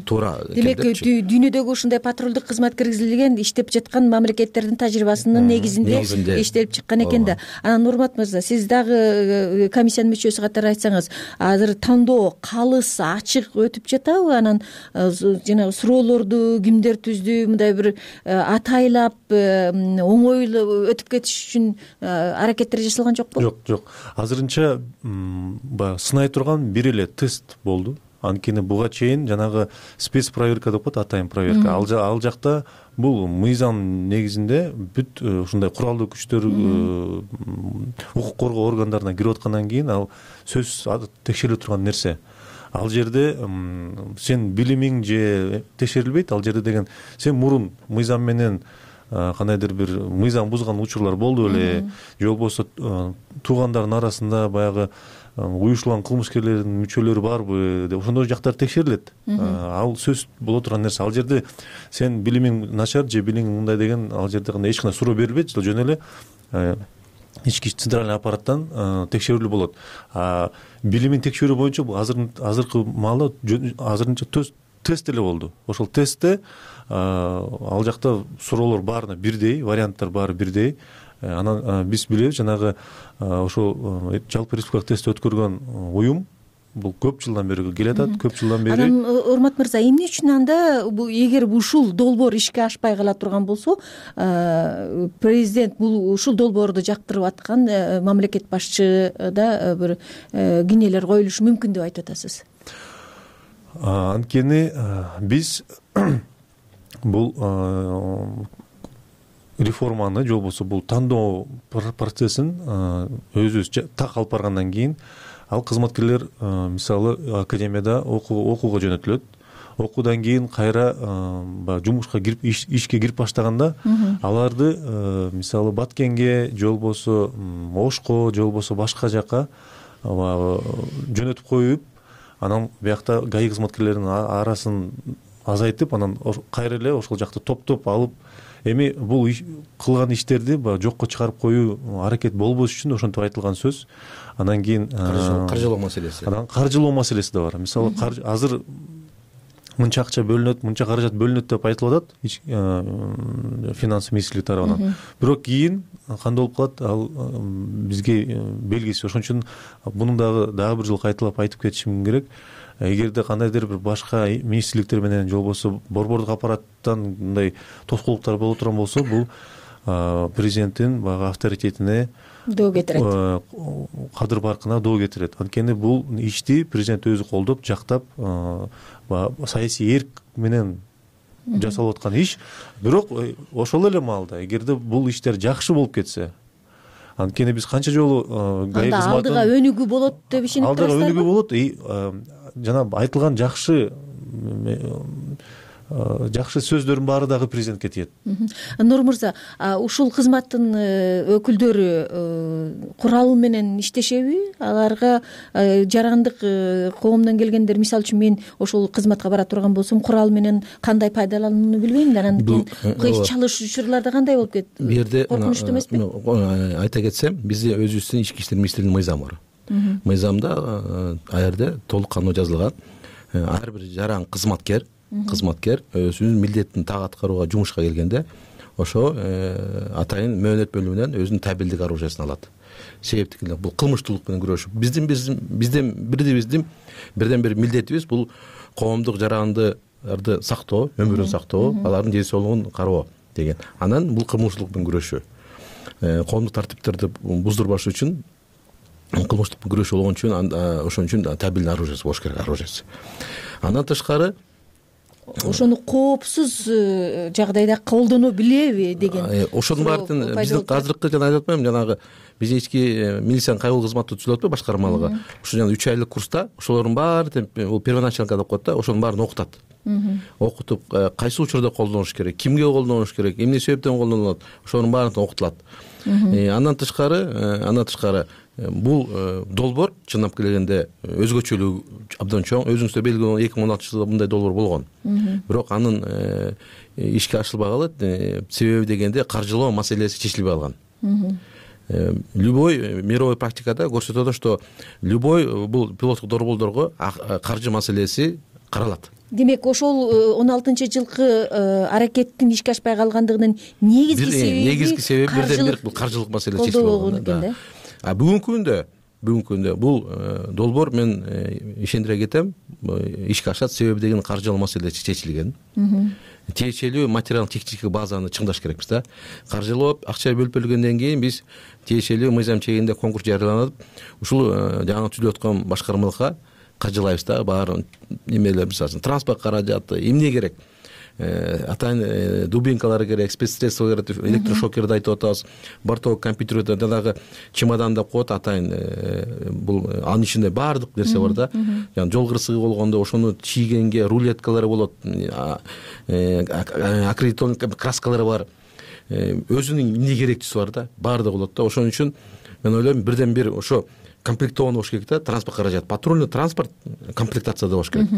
Туура. Демек дүйнөдөгү ушундай патрулдук кызмат киргизилген иштеп жаткан мамлекеттердин тажрыйбасынын негизинде иштелип чыккан экен да. Анан Нурмат мырза, сиз дагы комиссиянын мүчөсү катары айтсаңыз, азыр тандоо калыс, ачык өтүп жатабы? Анан жанагы суроолорду кимдер түздү, мындай бир атайлап оңойлуу өтүп кетиш үчүн аракеттер жасалган жокпу? Жок. Азырынча баягы сынай турган бир эле тест болду. Анткени буга чейин жанагы спецпроверка деп коет, атайын проверка. Ал жакта бул мыйзам негизинде бүт ушундай куралдуу күчтөр, укук коргоо органдарына кирип аткандан кийин ал сөзсүз текшериле турган нерсе. Ал жерде сен билимиң же текшерилбейт. Ал жерде деген сен мурун мыйзам менен кандайдыр бир мыйзам бузган учурлар болду беле, же болбосо туугандардын арасында баягы уюштурулган кылмышкерлердин мүчөлөрү барбы деп ошондой жактар текшерилет. Ал сөз боло турган нерсе. Ал жерде сен билимиң начар же билимиң мындай деген ал жерде кандай эч кандай суроо берилбейт. Жөн эле ички центральный аппараттан текшерүүлүү болот. Билимин текшерүү боюнча бул азыркы маалда азырынча тест эле болду. Ошол тестте ал жакта суроолор баарына бирдей, варианттар баары бирдей. Анан биз билебиз, жанагы ошол жалпы республикалык тестти өткөргөн уюм бул көп жылдан бери келатат, көп жылдан бери. Анан Урмат мырза, эмне үчүн анда эгер ушул долбоор ишке ашпай кала турган болсо, президент бул ушул долбоорду жактырып аткан мамлекет башчы да бир кинелер коюлушу мүмкүн деп айтып атасыз? Анткени биз бул реформаны же болбосо бул тандоо процессин өзүбүз так алып баргандан кийин ал кызматкерлер мисалы академияда окууга жөнөтүлөт. Окуудан кийин кайра жумушка кирип ишке кирип баштаганда аларды мисалы Баткенге же болбосо Ошко же болбосо башка жака жөнөтүп коюп, анан биякта ГАИ кызматкерлеринин арасын азайтып, анан кайра эле ошол жакты топтоп алып, эми бул кылган иштерди жокко чыгарып коюу аракет болбош үчүн ошентип айтылган сөз. Андан кийин каржылоо маселеси. Анан каржылоо маселеси да бар. Мисалы азыр мынча акча бөлүнөт, мынча каражат бөлүнөт деп айтылып атат финанс министрлиги тарабынан. Бирок кийин кандай болуп калат, ал бизге белгисиз. Ошон үчүн муну дагы бир жолу кайталап айтып кетишим керек. Эгерде кандайдыр бир башка министрликтер менен же болбосо борбордук аппараттан мындай тоскоолдуктар боло турган болсо, бул президенттин баягы авторитетине доо кетирет, кадыр баркына доо кетирет. Анткени бул ишти президент өзү колдоп, жактап, саясий эрк менен жасалып аткан иш. Бирок ошол эле маалда эгерде бул иштер жакшы болуп кетсе, анткени биз канча жолу ГАИ кызматын алдыга өнүгүү болот деп ишенип турасыздарбы? Алдыга өнүгүү болот. Жана айтылган жакшы сөздөрдүн баары дагы президентке тиет. Нур мырза, ушул кызматтын өкүлдөрү курал менен иштешеби? Аларга жарандык коомдон келгендер, мисалы үчүн мен ошол кызматка бара турган болсом, курал менен кандай пайдаланууну билбейм да, анан кийин чалыш учурларда кандай болуп кетти? Бу жерде коркунучтуу эмеспи? Айта кетсем, бизде өзүбүздүн ички иштер министрлигинин мыйзамы бар. Мыйзамда ал жерде толук кандуу жазылган. Ар бир жаран кызматкер өзүнүн милдетин так аткарууга жумушка келгенде ошо атайын мөөнөт бөлүмүнөн өзүнүн табелдик оружиясын алат. Себептик бул кылмыштуулук менен күрөшүү. Биздин бирден бир милдетибиз бул коомдук жарандарды сактоо, өмүрүн сактоо, алардын ден соолугун кароо деген. Анан бул кылмыштуулук менен күрөшүү. Коомдук тартиптерди буздурбаш үчүн, кылмыштык күрөшүү болгон үчүн ошон үчүн табелдик оружиясы болуш керек, оружиясы. Андан тышкары ошону коопсуз жагдайда колдоно билеби деген. Ошонун баардын биздин азыркы жана айтып атпаймынбы, жанагы биздин ички милициянын кайгылуу кызматы түзүлүп атпайбы, башкармалыгы. Ошо жана 3 айлык курста ошолордун баары бул первоначалка деп коет да, ошонун баарын окутат. Окутуп, кайсы учурда колдонуш керек, кимге колдонуш керек, эмне себептен колдонулат, ошонун баары окутулат. Андан тышкары бул долбоор чындап келгенде өзгөчөлүгү абдан чоң. Өзүңүздөр белгилүү 2016-жылы мындай долбоор болгон. Бирок анын ишке ашырылбагалы себеби дегенде каржылоо маселеси чечилбей калган. любой мировой практикада көрсөтөт, что любой бул пилоттук долбоордорго каржы маселеси каралат. Демек ошол 16-жылкы аракеттин ишке ашпай калгандыгынын негизги себеби бирден бир бул каржылык маселе чечилип болгон да. Бүгүнкү күндө бул долбоор мен ишендире кетем, ишке ашат, себеби деген каржылык маселе чечилген. Тиешелүү материалдык техникалык базаны чыңдаш керекпиз да. Каржылап акча бөлүп бергенден кийин биз тиешелүү мыйзам чегинде конкурс жарыяланып, ушул жаңы түзүлүп аткан башкармалыкка каржылайбыз да. Баарын эмелер, мисалы транспорт каражаты, эмне керек? Атайын дубинкалар керек, спецсредства керек, электрошокерди айтып атабыз. Бортовой компьютерде жанагы чемоданда коет, атайын бул анын ичинде баардык нерсе бар да. Жана жол кырсыгы болгондо ошону чийгенге рулеткалары болот, аккредитованный краскалары бар. Өзүнүн эмне керектүүсү бар да, баардыгы болот да. Ошон үчүн мен ойлойм бирден бир ошо комплектован болуш керек да, транспорт каражат. Патрульный транспорт комплектацияда болуш керек.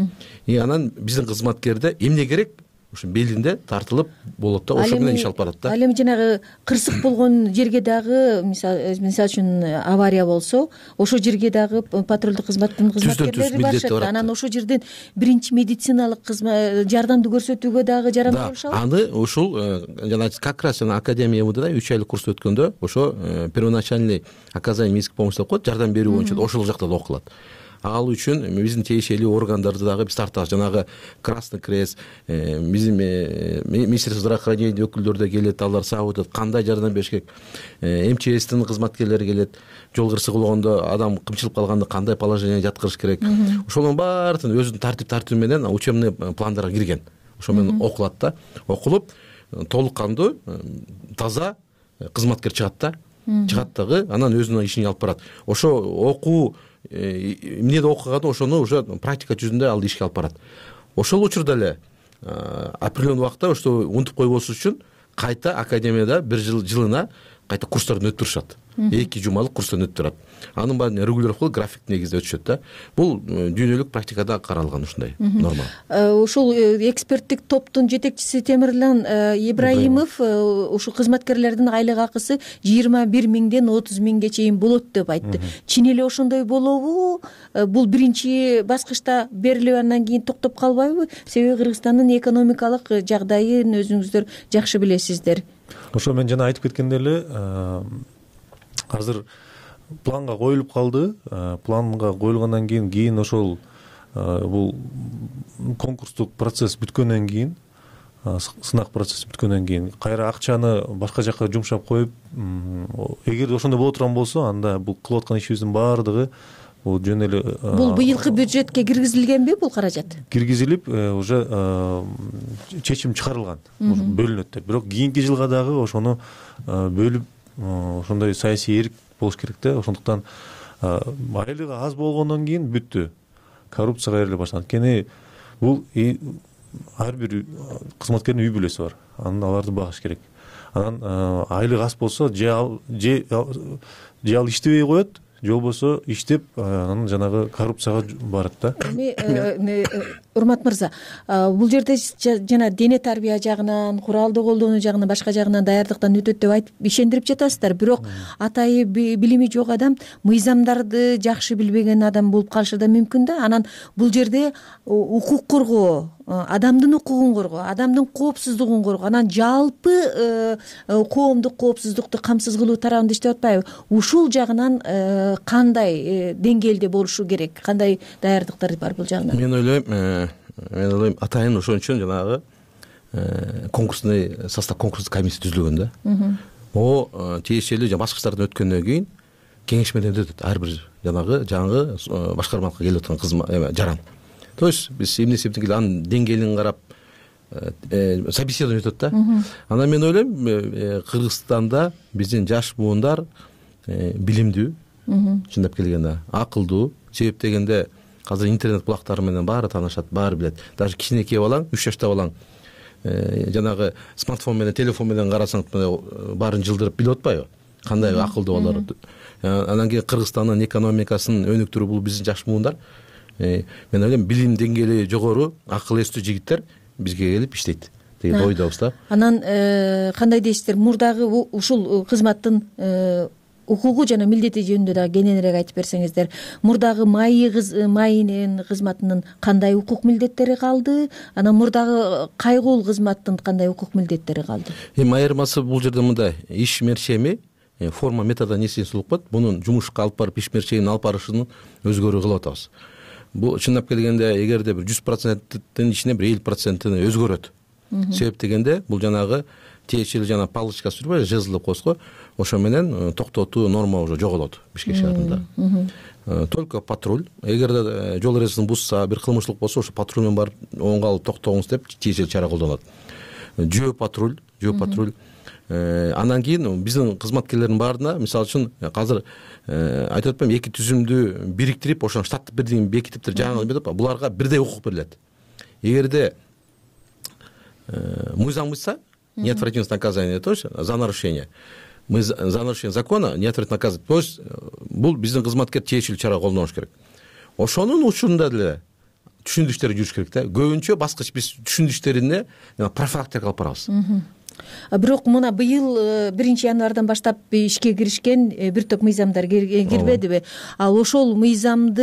И анан биздин кызматкерде эмне керек? Ошо белинде тартылып болот да, ошо менен иш алып барат да. Ал эми жанагы кырсык болгон жерге дагы мисалы үчүн авария болсо, ошо жерге дагы патрулдук кызматтын кызматкерлери барышат. Анан ошо жерден биринчи медициналык жардамды көрсөтүүгө дагы жарандуу болушабы? Аны ушул жана как раз академия МВДда 3 айлык курс өткөндө ошо первоначальный оказание медицинской помощи деп коет, жардам берүү боюнча ошол жакта да окулат. Ал үчүн биздин тиешелүү органдарды дагы биз тартабыз. Жанагы Красный Крест, биздин Министерство здравоохранения өкүлдөрү да келет, алар сабыт кандай жардам бериш керек. МЧСтин кызматкерлери келет. Жол кырсыгы болгондо адам кымчылып калганда кандай положение жаткырыш керек. Ошонун баарын өзүнүн тартип менен учебный пландарга кирген. Ошо менен окулат да. Окулуп толук кандуу, таза кызматкер чыгат да. Чыгат дагы анан өзүнүн ишин алып барат. Ошо окуу эмнеде окуган ошону уже практика жүзүндө ал ишке алып барат. Ошол учурда эле определенный убакта ошо унутуп койбош үчүн кайта академияда бир жылына кайта курстардан өттүрүшат. 2 жумалык курстан өттүрөт. Анын баарын регулировка график негизде өтүшөт да. Бул дүйнөлүк практикада каралган ушундай норма. Ушул эксперттик топтун жетекчиси Темирлан Ибраимов ушул кызматкерлердин айлык акысы 21 миңден 30 миңге чейин болот деп айтты. Чын эле ошондой болобу? Бул биринчи баскычта берилип андан кийин токтоп калбайбы? Себеби Кыргызстандын экономикалык жагдайын өзүңүздөр жакшы билесиздер. Ошо мен жана айтып кеткендей эле, азыр планга коюлуп калды. Планга коюлгандан кийин ошол бул конкурстук процесс бүткөндөн кийин, сынак процесси бүткөндөн кийин кайра акчаны башка жака жумшап коюп, эгер ошондой боло турган болсо, анда бул кылып аткан ишибиздин баардыгы бул жөн эле бул быйылкы бюджетке киргизилгенби бул каражат? Киргизилип, уже чечим чыгарылган, бөлүнөт деп. Бирок кийинки жылга дагы ошону бөлүп, ошондой саясий эрк болуш керек да. Ошондуктан айлыгы аз болгондон кийин бүттү. Коррупцияга бериле баштаган. Анткени бул ар бир кызматкердин үй бүлөсү бар. Аларды багыш керек. Анан айлык аз болсо, же ал иштебей коет, же болбосо иштеп анан жанагы коррупцияга барат да. Эми Урмат мырза, бул жерде жана дене тарбия жагынан, куралды колдонуу жагынан, башка жагынан даярдыктан өтөт деп айтып ишендирип жатасыздар. Бирок атайы билими жок адам, мыйзамдарды жакшы билбеген адам болуп калышы да мүмкүн да. Анан бул жерде укук коргоо, адамдын укугун коргоо, адамдын коопсуздугун коргоо, анан жалпы коомдук коопсуздукту камсыз кылуу тарабында иштеп атпайбы? Ушул жагынан кандай деңгээлде болушу керек? Кандай даярдыктар бар бул жагынан? Мен ойлойм атайын ошон үчүн жанагы конкурсный состав, конкурстук комиссия түзүлгөн да. Тиешелүү баскычтардан өткөндөн кийин кеңешмеден өтөт ар бир жаңы башкармалыкка келип аткан жаран. То есть биз эмне себептен келип анын деңгээлин карап собеседование өтөт да. Анан мен ойлойм Кыргызстанда биздин жаш буундар билимдүү, чындап келгенде акылдуу. Себеп дегенде азыр интернет булактары менен баары таанышат, баары билет. Даже кичинекей балаң, 3 жашта балаң жанагы смартфон менен, телефон менен карасаң баарын жылдырып билип атпайбы? Кандай акылдуу балдар. Анан кийин Кыргызстандын экономикасын өнүктүрүү бул биздин жаш буундар. Мен ойлойм билим деңгээли жогору, акыл эстүү жигиттер бизге келип иштейт деген ойдобуз да. Анан кандай дейсиздер? Мурдагы ушул кызматтын укугу жана милдети жөнүндө дагы кененирээк айтып берсеңиздер. Мурдагы майынын кызматынын кандай укук милдеттери калды, анан мурдагы кайгуул кызматтын кандай укук милдеттери калды? Эми айырмасы бул жерде мындай: иш мерчеми форма метода несиңиз болуп калат. Мунун жумушка алып барып иш мерчегин алып барышынын өзгөрүү кылып атабыз. Бул чындап келгенде эгерде бир 100%-тин ичинен бир 50%-ин өзгөрөт. Себеп дегенде бул жанагы тиешелүү жана палочка сүрбөй, жезл деп коебуз го, ошо менен токтотуу норма уже жоголот Бишкек шаарында. Только патруль. Эгерде жол эрежесин бузса, бир кылмыштуулук болсо, ошо патруль менен барып оңго алып токтоңуз деп тиешелүү чара колдонулат. Жөө патруль. Андан кийин биздин кызматкерлердин баарына, мисалы үчүн азыр айтып атпаймынбы, эки түзүмдү бириктирип, ошону штаттык бирдигин бекитиптир, жаңы деп буларга бирдей укук берилет. Эгерде мыйзам бузса, неотвратимость наказания, то есть за нарушение. Мы за нарушение закона неотвратимо наказывать. То есть бул биздин кызматкер тиешелүү чара колдонуш керек. Ошонун учурунда деле түшүндүктөр жүрүш керек да. Көбүнчө баскыч биз түшүндүктөрүнө профилактика алып барабыз. Бирок мына быйыл 1-январдан баштап ишке киришкен бир топ мыйзамдар кирбедиби? Ал ошол мыйзамдын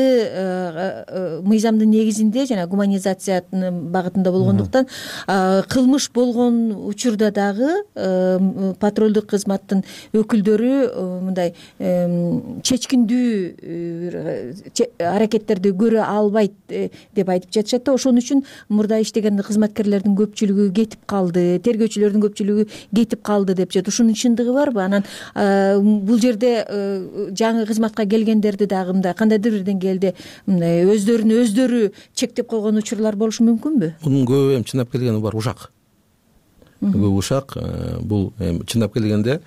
негизинде жана гуманизациянын багытында болгондуктан кылмыш болгон учурда дагы патрулдук кызматтын өкүлдөрү мындай чечкиндүү аракеттерди көрө албайт деп айтып жатышат да. Ошон үчүн мурда иштеген кызматкерлердин көпчүлүгү кетип калды, тергөөчүлөрдүн көпчүлүгү кетип калды деп жатат. Ушунун чындыгы барбы? Анан бул жерде жаңы кызматка келгендерди дагы мындай кандайдыр бир деңгээлде өздөрү чектеп койгон учурлар болушу мүмкүнбү? Мунун көбү эми чындап келгенде бар ушак. Көбү ушак. Бул чындап келгенде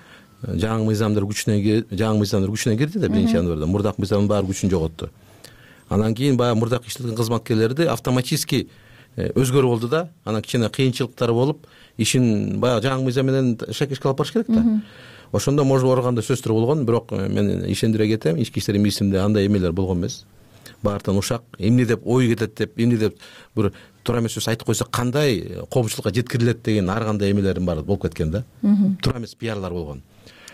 жаңы мыйзамдар күчүнө кирди да 1-январда. Мурдак мыйзамдын баары күчүн жоготту. Анан кийин баягы мурдак иштеген кызматкерлерди автоматически өзгөрүп болду да. Анан кичине кыйынчылыктар болуп, ишин баягы жаңы мыйзам менен шакешке алып барыш керек да. Ошондо может барганда сөздөр болгон, бирок мен ишендире кетем, ички иштер министрлигинде андай эмелер болгон эмес. Баартан ушак, эмне деп ой кетет деп, эмне деп бир туура эмес сөз айтып койсо кандай коомчулукка жеткирилет деген ар кандай эмелердин баары болуп кеткен да. Туура эмес пиарлар болгон.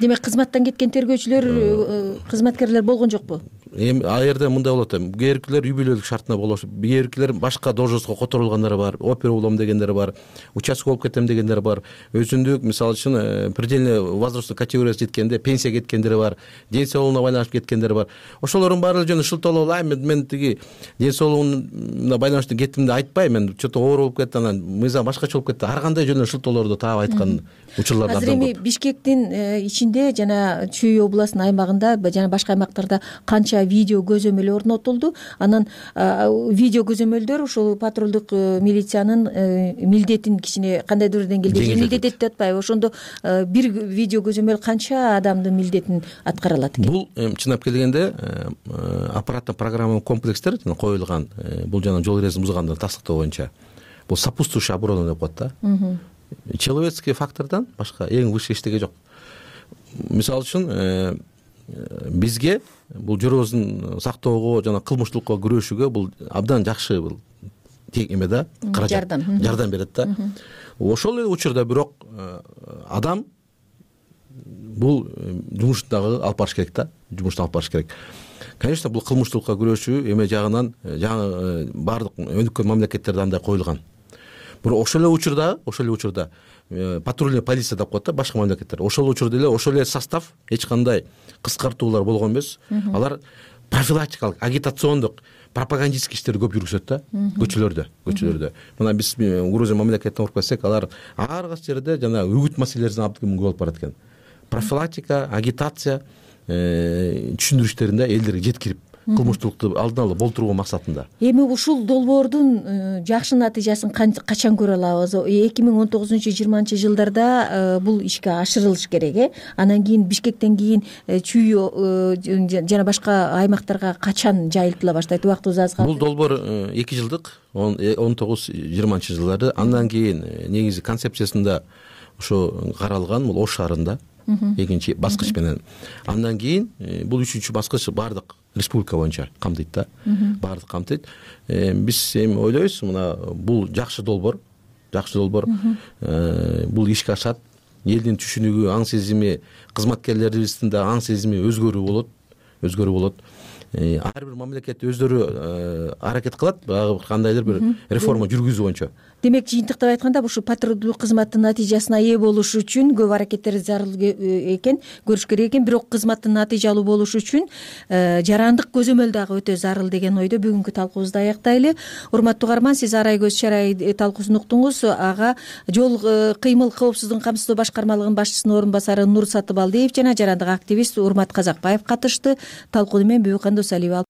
Демек кызматтан кеткен тергөөчүлөр, кызматкерлер болгон жокпу? Эми ал жерде мындай болот. Кээбиркилер үй бүлөлүк шартына болушуп, кээбиркилер башка должностко которулгандары бар, опер болом дегендер бар, участок болуп кетем дегендер бар, өзүндүк мисалы үчүн предельный возрастный категориясы жеткенде пенсия кеткендери бар, ден соолугуна байланыштуу кеткендери бар. Ошолордун баары жөн шылтоолоо, мен тиги ден соолугуна байланыштуу кеттим деп айтпайм, мен чото оор болуп кетти, анан мыйзам башкача болуп кетти. Ар кандай жөнүндө шылтоолорду таап айткан учурлар абдан көп. Азыр эми Бишкектин ичинде жана Чүй областынын аймагында жана башка аймактарда канча видео көзөмөл орнотулду. Анан видео көзөмөлдөр ушул патрулдук милициянын милдетин кичине кандайдыр деңгээлде жеңилдетет деп атпайбы? Ошондо бир видео көзөмөл канча адамдын милдетин аткара алат экен? Бул чындап келгенде аппараттык программа комплекстер коюлган, бул жана жол эрежесин бузгандарды тастыктоо боюнча. Бул сопутствующий оборона деп коет да. Человеческий фактордон башка эң высший эчтеке жок. Мисалы үчүн бизге бул жөрөбүздүн сактоого жана кылмыштуулукка күрөшүүгө бул абдан жакшы бул эме да, жардам берет да. Ошол эле учурда бирок адам бул жумушту дагы алып барыш керек да, жумушту алып барыш керек. Конечно, бул кылмыштуулукка күрөшүү эме жагынан жаңы баардык өнүккөн мамлекеттерде андай коюлган. Бирок ошол эле учурда патрульный полиция деп коет да башка мамлекеттер. Ошол учурда эле ошол эле состав эч кандай кыскартуулар болгон эмес. Алар профилактикалык, агитациондук, пропагандистский иштерди көп жүргүзөт да көчөлөрдө. Мына биз Грузия мамлекетине барып келсек, алар ар кайсы жерде жана үгүт маселелерин абдан көп алып барат экен. Профилактика, агитация түшүндүрүштөрүндө элдерге жеткирип кылмыштуулукту алдын ала болтуруу максатында. Эми ушул долбоордун жакшы натыйжасын качан көрө алабыз? 2019-20 жылдарда бул ишке ашырылыш керек, Анан кийин Бишкектен кийин Чүй жана башка аймактарга качан жайылтыла баштайт? Убактыбыз аз калды. Бул долбоор 2 жылдык, 19-20 жылдары. Андан кийин негизи концепциясында ошо каралган, бул Ош шаарында экинчи баскыч менен. Андан кийин бул 3-чү баскыч баардык республика боюнча камтыйт да. Баардык камтыйт. Биз эми ойлойбуз, мына бул жакшы долбоор. Бул ишке ашат. элдин түшүнүгү, аң сезими, кызматкерлерибиздин да аң сезими өзгөрүү болот. Ар бир мамлекет өздөрү аракет кылат баягы кандайдыр бир реформа жүргүзүү боюнча. Демек жыйынтыктап айтканда ушул патрулдуу кызматтын натыйжасына ээ болуш үчүн көп аракеттер зарыл экен, көрүш керек экен. Бирок кызматтын натыйжалуу болушу үчүн жарандык көзөмөл дагы өтө зарыл деген ойдо бүгүнкү талкуубузду аяктайлы. Урматтуу угарман, сиз Арай көз чарай талкуусун уктуңуз. Ага жол кыймыл коопсуздугун камсыздоо башкармалыгынын башчысынын орун басары Нур Сатыбалдиев жана жарандык активист Урмат Казакбаев катышты. Талкууну мен Бүбүкан Досалиева